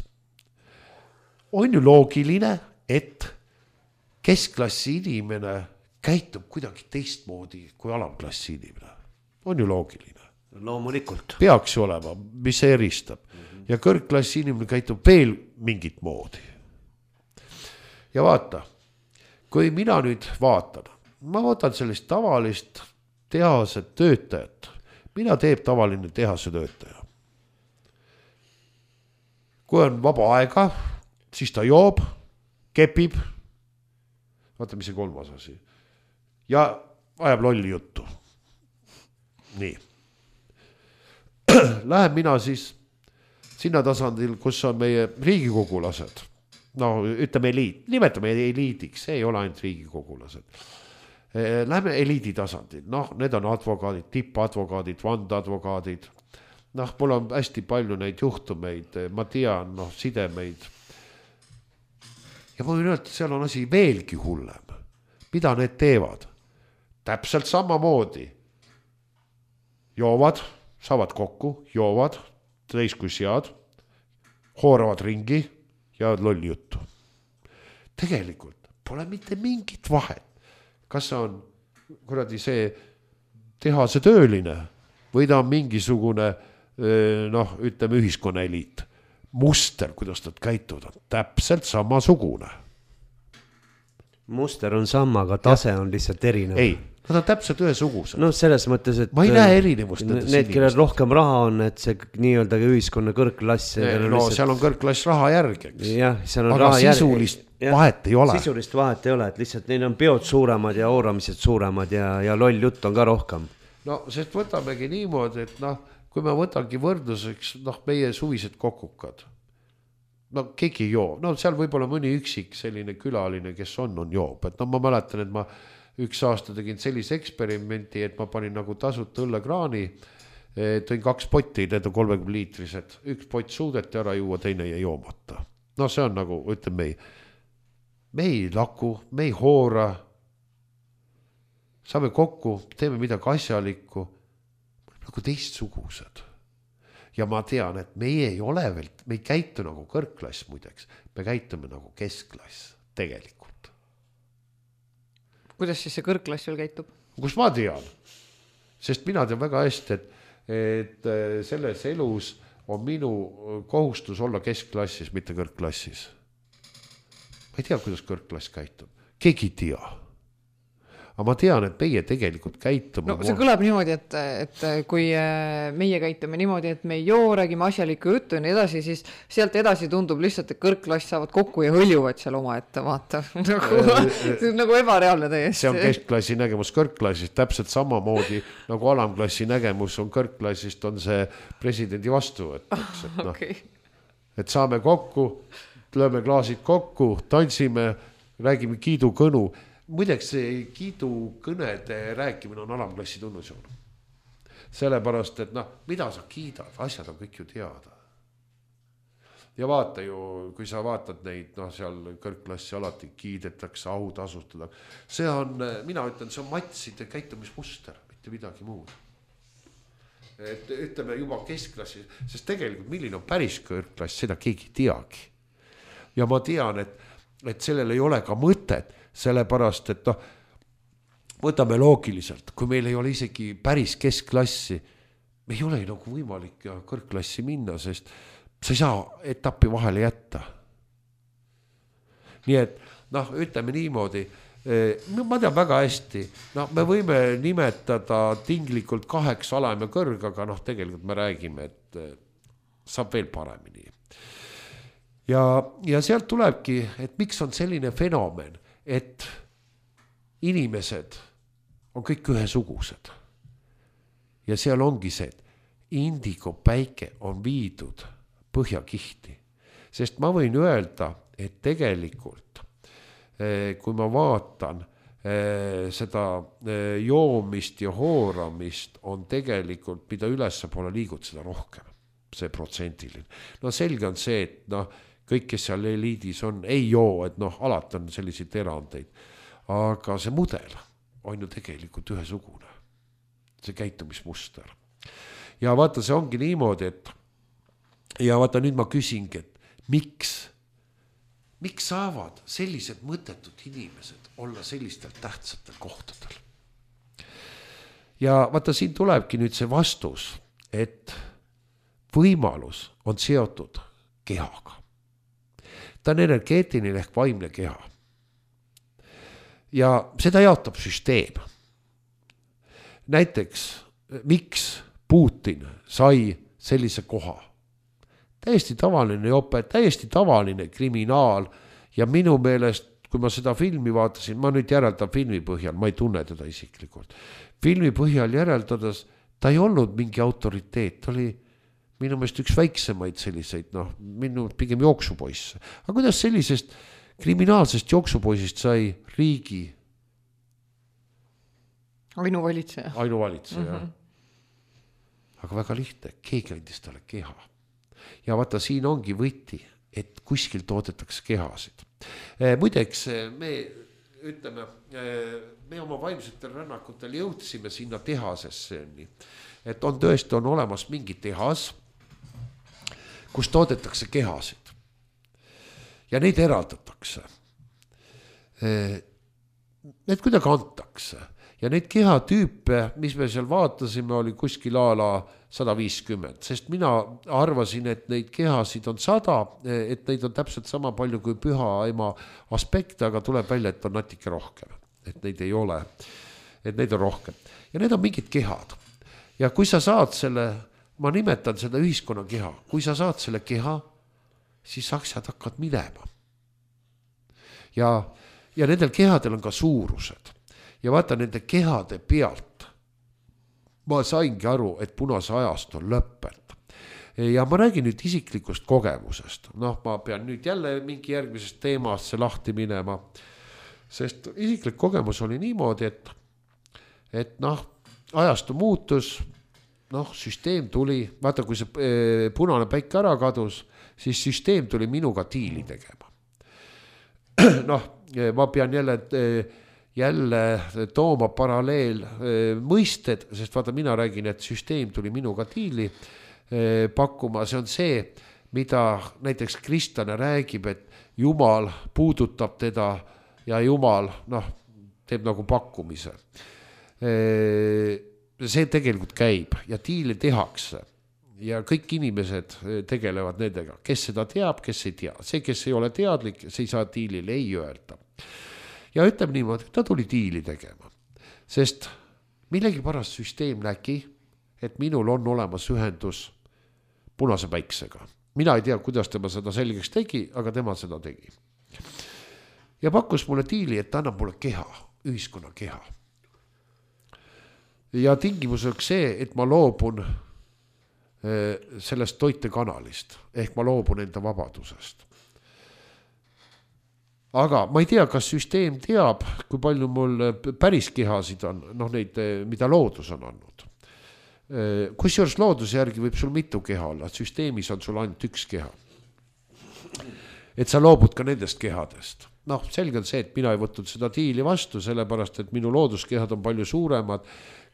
On ju loogiline, et keskklassi inimene käitub kuidagi teistmoodi kui alamklassi inimene. On ju loogiline. Loomulikult. Peaks ju olema, mis see eristab. Ja kõrgklassi inimene käitub veel mingit moodi. Ja vaata, kui mina nüüd vaatan, ma võtan sellist tavalist tehase töötajat. Mida teeb tavaline tehase töötaja? Kui on vaba aega, siis ta joob, kepib. Vaata, mis see kolmas asi. Ja ajab lolli juttu. Nii. Lähen mina siis sinna tasandil, kus on meie riigikogulased. No ütleme eliit, nimetame eliidiks, see ei ole ainult riigikogulased. Lähme eliidi tasandil, noh, need on advokaadid, tippadvokaadid, vandeadvokaadid. Noh, mul on hästi palju neid juhtumeid, ma tean, noh, sidemeid. Ja ma võin öelda, et seal on asi veelgi hullem. Mida need teevad? Täpselt samamoodi. Joovad, saavad kokku, joovad, täis kui sead, hooravad ringi ja lolli juttu. Tegelikult pole mitte mingit vahet. Kas on kuradi see tehase tööline või ta on mingisugune, noh, ütleme ühiskonnaeliit. Muster, kuidas nad käituvad, on täpselt samasugune. Muster on sama, aga tase on lihtsalt erinev. Ei. Nad on täpselt ühesugused. No selles mõttes, et ma ei näe erinevust. Need, kellel rohkem raha on, et see nii-öelda ühiskonna kõrgklass. No lihtsalt... seal on kõrgklass raha järgeks. Jah, seal on aga raha sisulist vahet ei ole. Sisulist vahet ei ole, et lihtsalt neil on peod suuremad ja ooramised suuremad ja loll jutt on ka rohkem. No, sest võtamegi niimoodi, et noh, kui me võtangi võrdluseks, noh, meie suvised kokukad. No keegi ei joo. No seal võib olla mõni üksik selline külaline, kes on joob. Et no ma mäletan, et ma üks aasta tegin sellise eksperimenti, et ma panin nagu tasuta õllekraani, tõin 2 potti, need on 30 liitrised, üks pott suudeti ära juua, teine jäi joomata. no see on nagu, ütleme, me ei laku, me ei hoora, saame kokku, teeme midagi asjalikku, nagu teistsugused. Ja ma tean, et meie ei ole veel, me ei käitu nagu kõrgklass muideks, me käitume nagu keskklass tegelikult. Kuidas siis see kõrgklass veel käitub? Kus ma tean? Sest mina tean väga hästi, et selles elus on minu kohustus olla keskklassis, mitte kõrgklassis. Ma ei tea, kuidas kõrgklass käitub. Keegi ei tea. Aga ma tean, et meie tegelikult käitume... No see kõlab niimoodi, et kui meie käitume niimoodi, et me ei joo, räägime asjalikku juttu ja nii edasi, siis sealt edasi tundub lihtsalt, et kõrgklass saavad kokku ja hõljuvad seal oma ette, vaata. See on nagu ebareaalne täiesti. See on keskklassi nägemus kõrgklassist, täpselt samamoodi nagu alamklassi nägemus on kõrgklassist, on see presidendi vastuvõttaks. Et, Okay. Et saame kokku, lööme klaasid kokku, tantsime, räägime kiidukõnu. Muideks see kiidukõnede rääkimine on alamklassi tunnusjoon. Sellepärast, et mida sa kiidad, asjad on kõik ju teada. Ja vaata ju, kui sa vaatad neid, seal kõrgklassi alati kiidetakse, au tasustada. See on, mina ütlen, see on matside käitumismuster, mitte midagi muud. Et ütleme juba keskklassi, sest tegelikult milline on päris kõrgklass, seda keegi teagi. Ja ma tean, et sellel ei ole ka mõtet, sellepärast, et võtame loogiliselt, kui meil ei ole isegi päris keskklassi, me ei ole nagu võimalik kõrgklassi minna, sest sa ei saa etappi vahele jätta. Nii et, ütleme niimoodi, ma tean väga hästi, me võime nimetada tinglikult 8 alam ja kõrg, aga tegelikult me räägime, et saab veel paremini. Ja sealt tulebki, et miks on selline fenomen, et inimesed on kõik ühesugused. Ja seal ongi see, et indigo päike on viidud põhjakihti. Sest ma võin öelda, et tegelikult, kui ma vaatan seda joomist ja hooramist, on tegelikult, mida ülesse poole liigud, seda rohkem, see protsentiline. Selge on see, et kõik, kes seal eliidis on, ei joo, et alati on selliseid erandeid. Aga see mudel on ju tegelikult ühesugune. See käitumismuster. Ja vaata, see ongi niimoodi, et ja vaata, nüüd ma küsingi, et miks saavad sellised mõttetud inimesed olla sellistel tähtsatel kohtadel? Ja vaata, siin tulebki nüüd see vastus, et võimalus on seotud kehaga. Ta on energeetiline ehk vaimne keha. Ja seda jaotab süsteem. Näiteks, miks Putin sai sellise koha? Täiesti tavaline jope, täiesti tavaline kriminaal ja minu meelest, kui ma seda filmi vaatasin, ma nüüd järeldan filmi põhjal, ma ei tunne teda isiklikult. Filmi põhjal järeldades ta ei olnud mingi autoriteet, ta oli minu meelest üks väiksemaid selliseid, minu pigem jooksupoisse. Aga kuidas sellisest kriminaalsest jooksupoisist sai riigi? Ainuvalitseja. Jah. Aga väga lihtne, keegi andis talle keha. Ja vaata, siin ongi võti, et kuskil toodetakse kehasid. Muideks, me oma vaimsetel rännakutel jõudsime sinna tehasesse, et on tõesti on olemas mingi tehas, kus toodetakse kehasid ja neid eraldatakse. Need kuidagi antakse ja neid kehatüüpe, mis me seal vaatasime, oli kuskil ala 150, sest mina arvasin, et neid kehasid on 100, et neid on täpselt sama palju kui püha ema aspekte, aga tuleb välja, et on natuke rohkem, et neid ei ole, et neid on rohkem ja need on mingid kehad ja kui sa saad selle, ma nimetan seda ühiskonna keha, kui sa saad selle keha, siis asjad hakkad minema. Ja nendel kehadel on ka suurused. Ja vaata nende kehade pealt, ma saingi aru, et punase ajast on lõppenud. Ja ma räägin nüüd isiklikust kogemusest. Ma pean nüüd jälle mingi järgmisest teemast see lahti minema, sest isiklik kogemus oli niimoodi, et ajastu muutus, süsteem tuli, vaata, kui see punane päike ära kadus, siis süsteem tuli minuga diili tegema. Ma pean jälle tooma paralleel mõisted, sest vaata, mina räägin, et süsteem tuli minuga diili pakkuma, see on see, mida näiteks kristlane räägib, et Jumal puudutab teda ja Jumal, teeb nagu pakkumise. See tegelikult käib ja diili tehakse ja kõik inimesed tegelevad nendega, kes seda teab, kes ei tea. See, kes ei ole teadlik, see ei saa diilile ei öelda. Ja ütleb niimoodi, ta tuli diili tegema, sest millegipärast süsteem nägi, et minul on olemas ühendus punase päiksega. Mina ei tea, kuidas tema seda selgeks tegi, aga tema seda tegi. Ja pakkus mulle diili, et ta annab mulle keha, ühiskonna keha. Ja tingimuseks see, et ma loobun sellest toitekanalist, ehk ma loobun enda vabadusest. Aga ma ei tea, kas süsteem teab, kui palju mul päris kehasid on, neid, mida loodus on andnud. Kusjuures looduse järgi võib sul mitu keha olla, süsteemis on sul ainult üks keha. Et sa loobud ka nendest kehadest. Selge on see, et mina ei võtnud seda diili vastu, sellepärast, et minu looduskehad on palju suuremad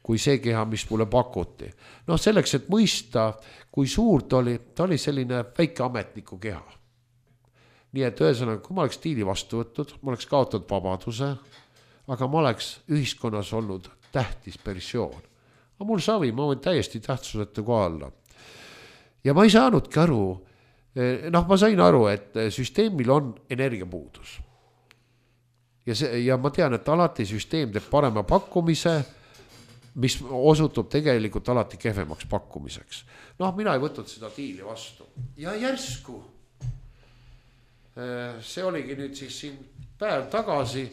kui see keha, mis mulle pakuti. Selleks, et mõista, kui suur ta oli selline väike ametniku keha. Nii et ühesõnaga, kui ma oleks diili vastu võtnud, ma oleks kaotanud vabaduse, aga ma oleks ühiskonnas olnud tähtis persoon. Aga mul savi, ma võin täiesti tähtsuseta kohalla. Ja ma ei saanudki aru, ma sain aru, et süsteemil on energiapuudus. Ja ma tean, et alati süsteem teeb parema pakkumise, mis osutub tegelikult alati kehvemaks pakkumiseks. Mina ei võtnud seda diili vastu. Ja järsku, see oligi nüüd siis siin päev tagasi,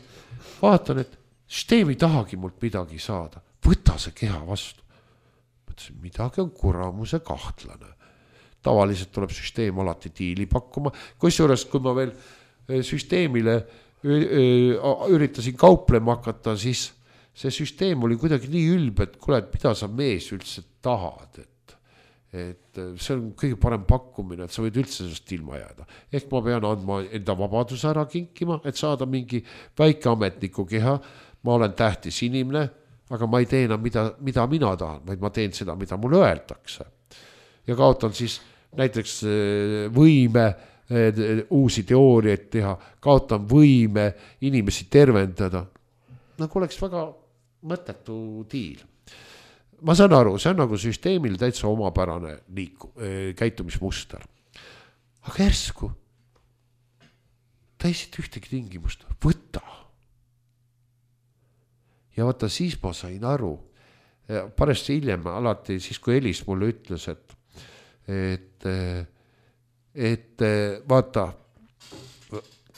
vaatan, et süsteem ei tahagi mult midagi saada. Võta see keha vastu. Mõtlesin, midagi on kuramuse kahtlane. Tavaliselt tuleb süsteem alati diili pakkuma. Kusjuures, kui ma veel süsteemile üritasin kauplema hakata, siis see süsteem oli kuidagi nii ülbe, et kuule, et mida sa mees üldse tahad, et see on kõige parem pakkumine, et sa võid üldse sellest ilma jääda. Ehk ma pean andma enda vabaduse ära kinkima, et saada mingi väike ametniku keha. Ma olen tähtis inimene, aga ma ei tee enam, mida mina tahan, vaid ma teen seda, mida mulle öeldakse. Ja kaotan siis näiteks võime uusi teooriaid teha, kaotan võime inimesi tervendada. Nagu oleks väga mõttetu diil. Ma saan aru, see on nagu süsteemil täitsa omapärane käitumismuster. Aga järsku, ta ei siit ühtegi tingimust, võta. Ja vaata, siis ma sain aru, paresti hiljem alati, siis kui Elis mulle ütles, et vaata,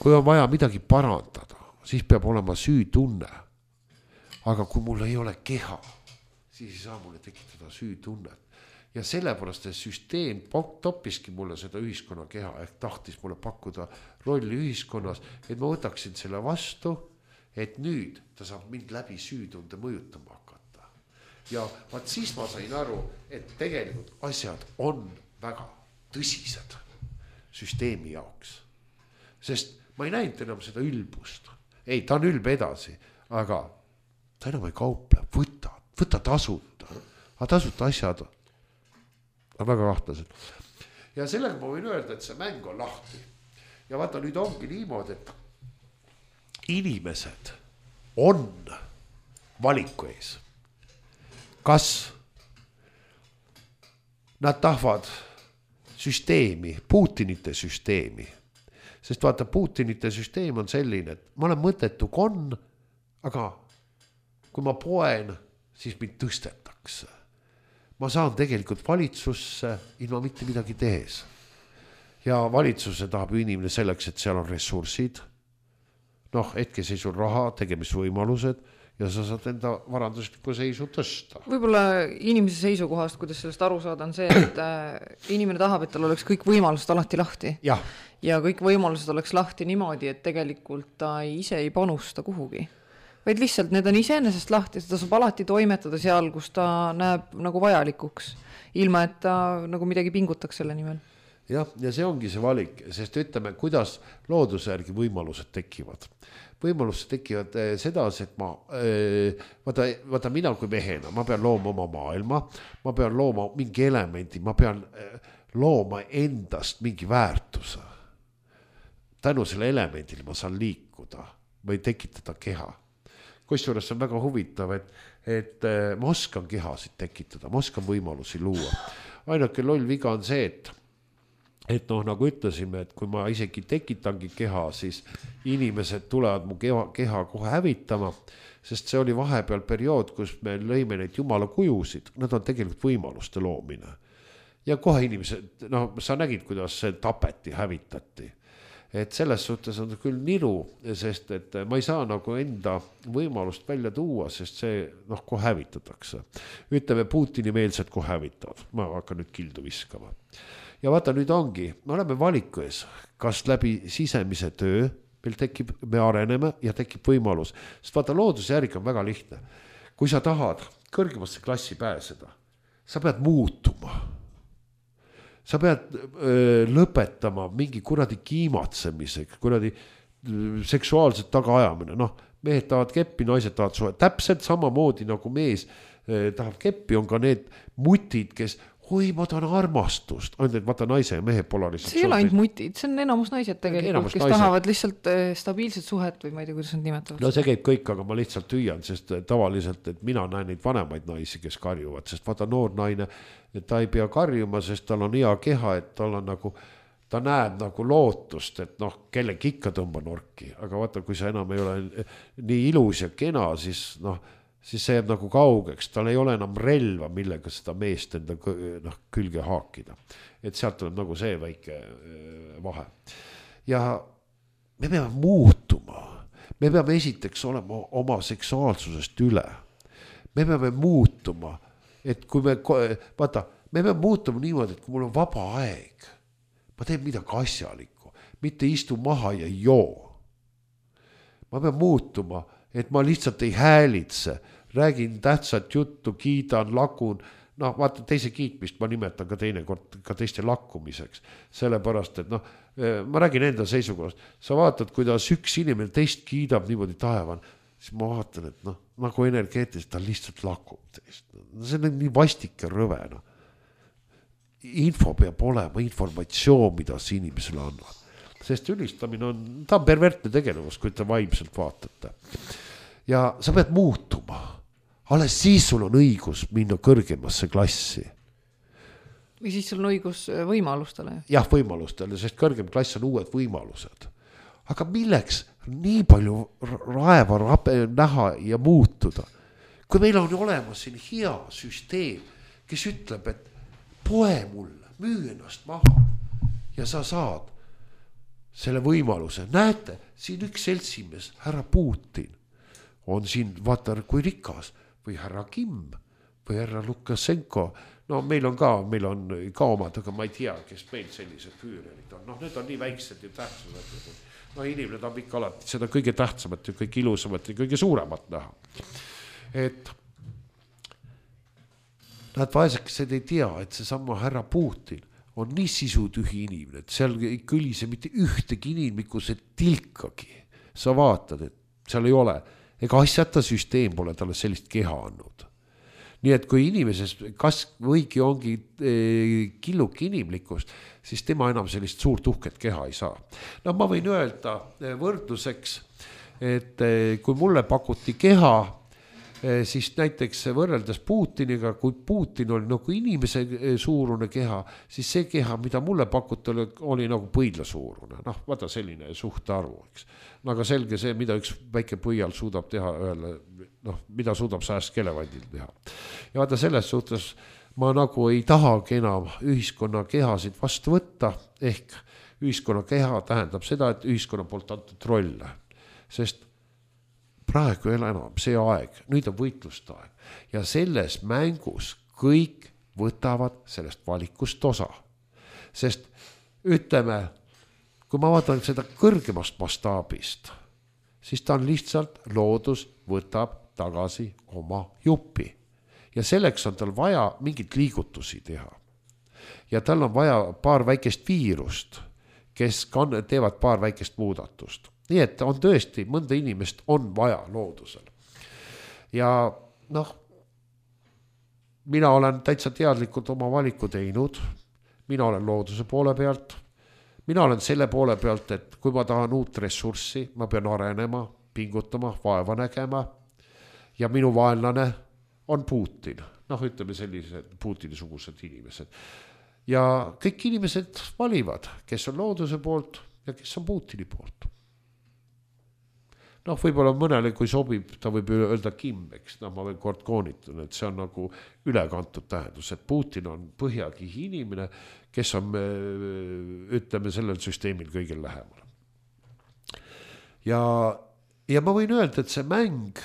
kui on vaja midagi parandada, siis peab olema süütunne. Aga kui mul ei ole keha, siis ei saa mulle tekitada süütunnet. Ja sellepärast, et süsteem toppiski mulle seda ühiskonna keha, ehk tahtis mulle pakkuda rolli ühiskonnas, et ma võtaksin selle vastu, et nüüd ta saab mind läbi süütunde mõjutama hakata. Ja vaat siis ma sain aru, et tegelikult asjad on väga tõsised süsteemi jaoks. Sest ma ei näinud enam seda ülbust. Ei, ta on ülbe edasi, aga ta enam ei kauple, võta tasuta. Aga tasuta asjad on väga kahtlased. Ja sellega ma võin öelda, et see mäng on lahti. Ja vaata, nüüd ongi niimoodi, et inimesed on valiku ees. Kas nad tahavad süsteemi, Putinite süsteemi? Sest vaata, Putinite süsteem on selline, et ma olen mõttetu konn, aga kui ma poen, siis mind tõstetakse. Ma saan tegelikult valitsusse ilma mitte midagi tehes. Ja valitsuse tahab inimene selleks, et seal on ressursid, hetkeseisul raha, tegemisvõimalused ja sa saad enda varanduslikku seisu tõsta. Võib-olla inimese seisukohast, kuidas sellest aru saada, on see, et inimene tahab, et tal oleks kõik võimalused alati lahti. Ja kõik võimalused oleks lahti niimoodi, et tegelikult ta ise ei panusta kuhugi. vaid lihtsalt need on iseenesest lahti, seda saab alati toimetada seal, kus ta näeb nagu vajalikuks, ilma et ta nagu midagi pingutaks selle nimel. Jah, ja see ongi see valik, sest ütleme, kuidas looduse järgi võimalused tekivad. Võimalused tekivad sedasi, et vaata mina kui mehena, ma pean looma oma maailma, ma pean looma mingi elemendi, ma pean looma endast mingi väärtuse. Tänu selle elemendile ma saan liikuda või tekitada keha. Kusjuures on väga huvitav, et ma oskan kehasid tekitada, ma oskan võimalusi luua. Ainuke loll viga on see, et nagu ütlesime, et kui ma isegi tekitangi keha, siis inimesed tulevad mu keha kohe hävitama, sest see oli vahepeal periood, kus me lõime neid jumala kujusid, nad on tegelikult võimaluste loomine. Ja kohe inimesed, sa nägid, kuidas see tapeti, hävitati. Et selles suhtes on küll niru, sest et ma ei saa nagu enda võimalust välja tuua, sest see kohe hävitatakse. Ütleme, Putini meelsed kohe hävitavad, ma hakkan nüüd kildu viskama. Ja vaata, nüüd ongi, me oleme valiku ees, kas läbi sisemise töö meil tekib, me areneme ja tekib võimalus. Sest vaata, looduse järgi on väga lihtne. Kui sa tahad kõrgemasse klassi pääseda, sa pead muutuma. Sa pead lõpetama mingi kuradi kiimatsemisega, kuradi seksuaalset tagaajamine. Mehed tahavad keppi, naised tahavad suhe. Täpselt samamoodi nagu mees tahab keppi, on ka need mutid, kes ma tahan armastust. Ainult, et vaata naise ja mehe polariseid. See ei ole ainult mutid, see on enamus naised tegelikult, kes tahavad lihtsalt stabiilset suhet või ma ei tea, kuidas nad nimetavad. No see käib kõik, aga ma lihtsalt hüüan, sest tavaliselt, et mina näen neid vanemaid naisi, kes karjuvad, sest vaata noor naine, ta ei pea karjuma, sest tal on hea keha, et tal on nagu, ta näeb nagu lootust, et kellegi ikka tõmba norki, aga vaata, kui sa enam ei ole nii ilus ja kena, siis see jääb nagu kaugeks, tal ei ole enam relva, millega seda meest enda külge haakida. Et sealt tuleb nagu see väike vahe. Ja me peame muutuma. Me peame esiteks olema oma seksuaalsusest üle. Me peame muutuma, et kui me peame muutuma niimoodi, et kui mul on vaba aeg, ma teen midagi asjalikku, mitte istu maha ja joo. Ma pean muutuma, et ma lihtsalt ei häälitse, räägin tähtsat juttu, kiidan, lakun, vaata teise kiitmist ma nimetan ka teinekord ka teiste lakkumiseks, sellepärast, et ma räägin enda seisukohast, sa vaatad, kuidas üks inimene teist kiidab niimoodi taevan, siis ma vaatan, et nagu energeetiliselt ta lihtsalt lakub teist. See on nii vastik ja rõvena. Info peab olema informatsioon, mida see inimesele annab. Sest ülistamine ta on pervertne tegelevus, kui te vaimselt vaatate. Ja sa pead muutuma. Alles siis sul on õigus minna kõrgemasse klassi. Või siis sul on õigus võimalustele? Jah, võimalustele, sest kõrgem klass on uued võimalused. Aga milleks nii palju raeva näha ja muutuda? Kui meil on olemas siin hea süsteem, kes ütleb, et poe mulle, müü ennast maha ja sa saad selle võimaluse. Näete, siin üks seltsimees, härra Putin, on siin, vaata, kui rikas, või härra Kim, või härra Lukasenko. Meil on ka omad, aga ma ei tea, kes meil sellised füürerid on. Need on nii väiksed ja tähtsamad. Inimene tahab ikka alati seda kõige tähtsamat ja kõige ilusamat ja kõige suuremat näha. Et nad vaesekesed ei tea, et see sama härra Putin on nii sisutühi inimene, et seal ei kõlise mitte ühtegi inimikuse tilkagi. Sa vaatad, et seal ei ole. Ega asjata süsteem pole talle sellist keha andnud. Nii et kui inimeses kas võigi ongi killuk inimlikkust, siis tema enam sellist suurt uhket keha ei saa. Ma võin öelda võrdluseks, et kui mulle pakuti keha, siis näiteks võrreldes Putiniga, kui Putin oli nagu inimese suurune keha, siis see keha, mida mulle pakuti, oli nagu põidla suurune. Vaata selline suhtarvu, eks. Aga selge see, mida üks väike põial suudab teha ühele, mida suudab sajast kelevandil teha. Ja vaata selles suhtes ma nagu ei tahagi enam ühiskonna kehasid vastu võtta, ehk ühiskonna keha tähendab seda, et ühiskonna poolt antud rolle. Sest praegu ei ole enam see aeg, nüüd on võitluste aeg. Ja selles mängus kõik võtavad sellest valikust osa. Sest ütleme, kui ma vaatan seda kõrgemast mastaabist, siis ta on lihtsalt, loodus võtab tagasi oma jupi. Ja selleks on tal vaja mingit liigutusi teha. Ja tal on vaja paar väikest viirust, kes teevad paar väikest muudatust. Nii et on tõesti, mõnda inimest on vaja loodusel. Ja noh, mina olen täitsa teadlikult oma valiku teinud, mina olen looduse poole pealt, mina olen selle poole pealt, et kui ma tahan uut ressurssi, ma pean arenema, pingutama, vaeva nägema ja minu vaenlane on Putin. Noh, ütleme sellised Putini-sugused inimesed. Ja kõik inimesed valivad, kes on looduse poolt ja kes on Putini poolt. Noh, võib-olla mõnele, kui sobib, ta võib öelda Kim, eks, ma veel kord koonitan, et see on nagu ülekantud tähendus, et Putin on põhjakihi inimene, kes on, ütleme, sellel süsteemil kõigil lähemal. Ja ma võin öelda, et see mäng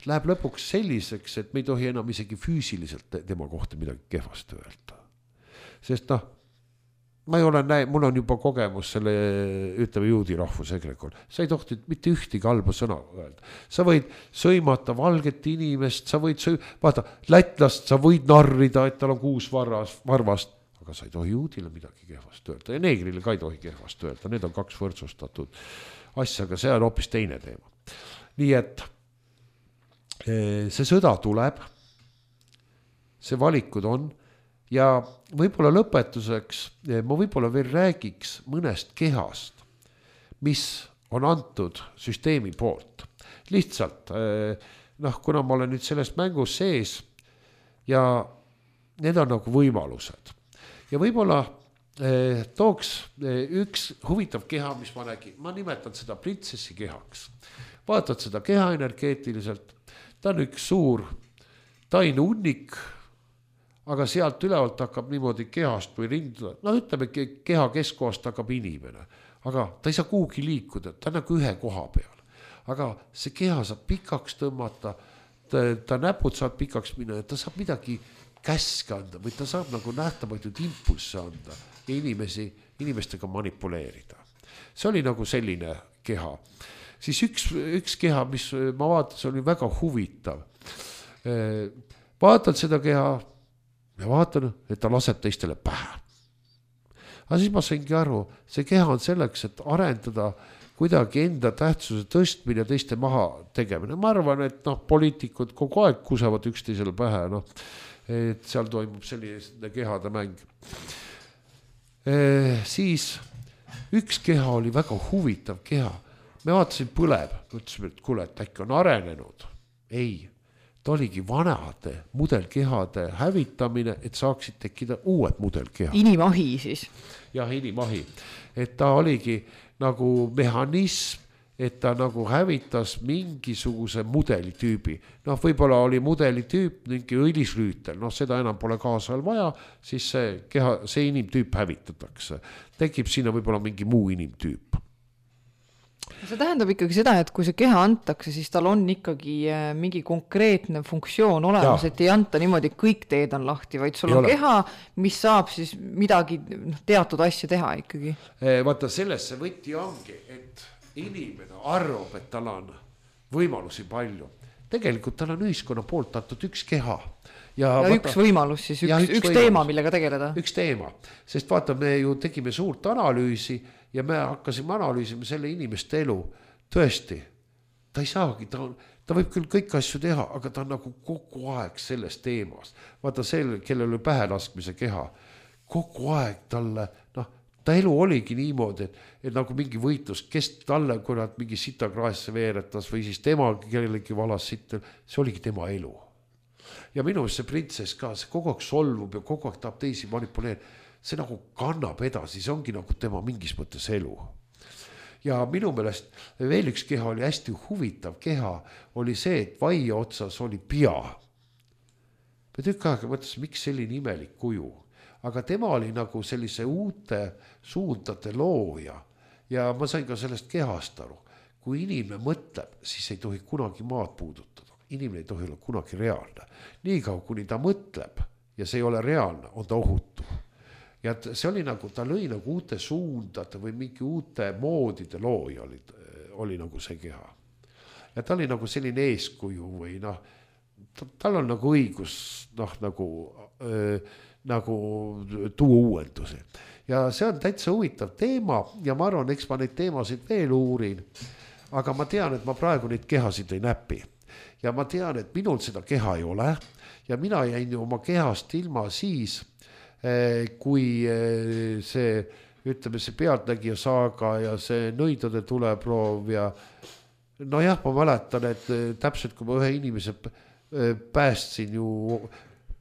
läheb lõpuks selliseks, et me ei tohi enam isegi füüsiliselt tema kohta midagi kehvast öelda. Sest ma ei ole mul on juba kogemus selle, ütleme, juudi rahvusegrekul. Sa ei tohti mitte ühtegi halba sõna öelda. Sa võid sõimata valget inimest, sa võid vaata, lätlast sa võid narrida, et tal on 6 varvast, aga sa ei tohi juudile midagi kehvast öelda. Ja neegrile ka ei tohi kehvast öelda. Need on 2 võrdsustatud asja, aga see on hoopis teine teema. Nii et see sõda tuleb, see valikud on, ja võib-olla lõpetuseks ma võib-olla veel räägiks mõnest kehast, mis on antud süsteemi poolt. Lihtsalt, kuna ma olen nüüd selles mängus sees ja need on nagu võimalused. Ja võib-olla tooks üks huvitav keha, mis ma nägin. Ma nimetan seda printsessi kehaks. Vaatad seda keha energeetiliselt. Ta on üks suur taine unnik, aga sealt ülevalt hakkab niimoodi kehast või rinduda. No ütleme, keha keskkohast hakkab inimene, aga ta ei saa kuhugi liikuda, ta on nagu ühe koha peal. Aga see keha saab pikaks tõmmata, ta näpud saab pikaks minna ja ta saab midagi käske anda või ta saab nagu nähtamatuid impulsse anda ja inimestega manipuleerida. See oli nagu selline keha. Siis üks keha, mis ma vaatan, see oli väga huvitav. Vaatad seda keha ja vaatan, et ta laseb teistele pähe. Aga siis ma saingi aru, see keha on selleks, et arendada kuidagi enda tähtsuse tõstmine ja teiste maha tegemine. Ma arvan, et poliitikud kogu aeg kusevad üksteisele pähe, et seal toimub selline kehade mäng. Siis üks keha oli väga huvitav keha. Me vaatasin põleb, mõtlesime, et kuule, et äkki on arenenud. Ei, ta oligi vanade mudelkehade hävitamine, et saaksid tekkida uued mudelkehad. Inimahi siis. Jah, inimahi. Et ta oligi nagu mehhanism, et ta nagu hävitas mingisuguse mudelitüübi. Võib-olla oli mudelitüüp mingi õlislüütel, seda enam pole kaasal vaja, siis see inimtüüp hävitatakse. Tekib sinna võib-olla mingi muu inimtüüp. See tähendab ikkagi seda, et kui see keha antakse, siis tal on ikkagi mingi konkreetne funktsioon olemas, et ei anta niimoodi, kõik teed on lahti, vaid sul on keha, mis saab siis midagi teatud asja teha ikkagi. Vaata, sellest see võti ongi, et inimene arvab, et tal on võimalusi palju. Tegelikult tal on ühiskonna poolt antud üks keha. Ja üks võimalus siis, üks teema, millega tegeleda. Üks teema, sest vaata, me ju tegime suurt analüüsi ja me hakkasime analüüsima selle inimeste elu. Tõesti, ta ei saagi, ta võib küll kõik asju teha, aga ta on nagu kogu aeg selles teemas. Vaata see, kellel oli pähe laskmise keha, kogu aeg talle, ta elu oligi niimoodi, et nagu mingi võitlus, kes talle, kui nad mingi sitakraesse veeretas või siis tema kellelegi valas sitta, see oligi tema elu. Ja minu see printsess ka, see kogu aeg solvub ja kogu aeg tahab teisi manipuleerida. See nagu kannab edasi, see ongi nagu tema mingis mõttes elu. Ja minu meelest veel üks keha oli hästi huvitav keha, oli see, et vaia otsas oli pea. Me tükk aega mõtles, miks selline imelik kuju. Aga tema oli nagu sellise uute suundade looja ja ma sain ka sellest kehast aru. Kui inimene mõtleb, siis ei tohi kunagi maad puudutada. Inimene ei tohi olla kunagi reaalne. Niikaua, kuni ta mõtleb ja see ei ole reaalne, on ta ohutu. Ja see oli nagu, ta lõi nagu uute suundade või mingi uute moodide looja oli nagu see keha. ja ta oli nagu selline eeskuju või noh, tal on nagu õigus nagu tuua uuendusi. Ja see on täitsa huvitav teema ja ma arvan, eks ma neid teemasid veel uurin, aga ma tean, et ma praegu neid kehasid ei näpi. Ja ma tean, et minul seda keha ei ole ja mina jäin oma kehast ilma siis, kui see, ütleme, see Pealtnägija saaga ja see Nõidude tuleproov ja nojah, ma mäletan, et täpselt kui ma ühe inimese päästsin ju,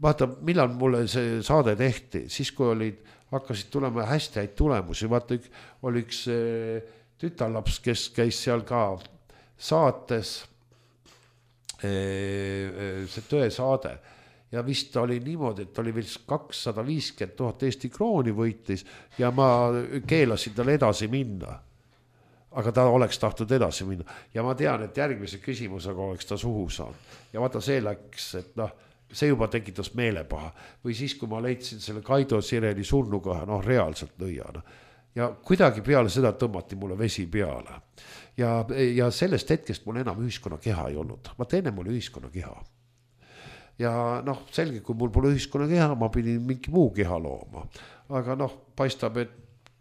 vaata, millal mulle see saade tehti, siis kui hakkasid tulema hästi häid tulemusi, vaata, oli üks tütarlaps, kes käis seal ka saates, see Tõesaade ja vist oli niimoodi, et oli vist 250 000 Eesti krooni võitis ja ma keelasin tal edasi minna. Aga ta oleks tahtnud edasi minna ja ma tean, et järgmise küsimusega oleks ta suhu saanud ja vaata see läks, et noh, see juba tekitas meelepaha või siis, kui ma leidsin selle Kaido Sireli surnukoha, noh reaalselt nõiana ja kuidagi peale seda tõmmati mulle vesi peale ja sellest hetkest mul enam ühiskonna keha ei olnud, vaata enne mul ühiskonna keha ja noh, selge, kui mul pole ühiskonna keha, ma pidin mingi muu keha looma, aga noh, paistab, et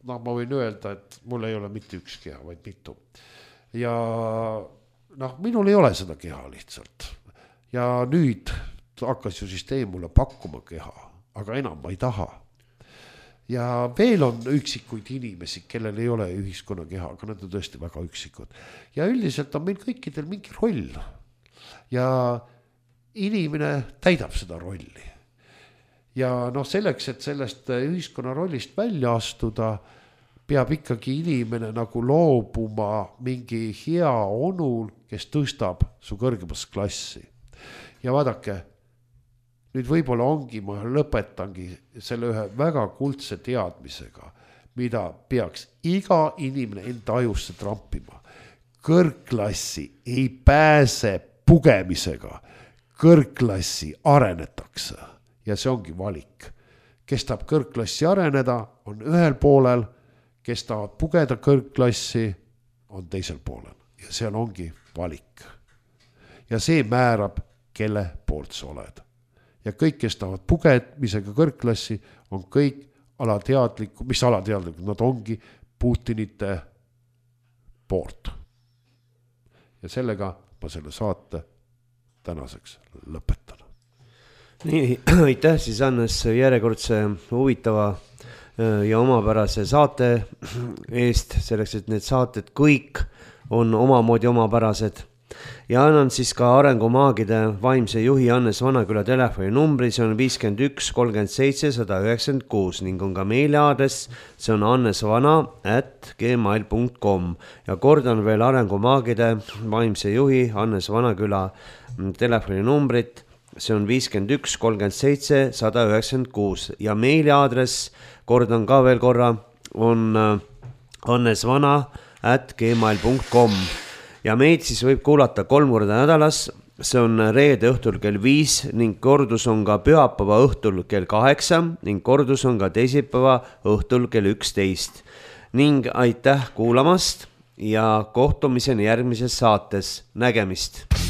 noh, ma võin öelda, et mul ei ole mitte üks keha, vaid mitu. Ja noh, minul ei ole seda keha lihtsalt. Ja nüüd hakkas ju süsteem mulle pakkuma keha, aga enam ma ei taha. Ja veel on üksikuid inimesi, kellel ei ole ühiskonna keha, aga nad on tõesti väga üksikud. Ja üldiselt on meil kõikidel mingi roll. Ja inimene täidab seda rolli. Ja noh, selleks, et sellest ühiskonna rollist välja astuda, peab ikkagi inimene nagu loobuma mingi hea onul, kes tõstab su kõrgemas klassi. Ja vaadake, nüüd võib-olla ongi, ma lõpetangi selle ühe väga kuldse teadmisega, mida peaks iga inimene enda ajusse trampima. Kõrgklassi ei pääse pugemisega, kõrgklassi arenetakse. Ja see ongi valik. Kes tahab kõrgklassi areneda, on ühel poolel, kes tahavad pugeda kõrgklassi, on teisel poolel. Ja seal ongi valik. Ja see määrab, kelle poolt sa oled. Ja kõik, kes tahavad pugemisega kõrgklassi, on kõik alateadlikud, mis alateadlikud, nad ongi Putinite poolt. Ja sellega ma selle saate tänaseks lõpetan. Nii, aitäh siis Hannes järjekordse huvitava ja omapärase saate eest, selleks, et need saated kõik on omamoodi omapärased. Ja annan siis ka Arengumaagide vaimse juhi Hannes Vanaküla telefoni numbri, see on 51 37 196 ning on ka meiliaadress, see on hannesvana@gmail.com ja kordan veel Arengumaagide vaimse juhi Hannes Vanaküla telefoni numbrit, see on 51 37 196 ja meiliaadress, kordan ka veel korra, on hannesvana@gmail.com ja meid siis võib kuulata 3 korda nädalas, see on reede õhtul kell 5 ning kordus on ka pühapäeva õhtul kell 8 ning kordus on ka teisipäeva õhtul kell 11 ning aitäh kuulamast ja kohtumiseni järgmises saates, nägemist!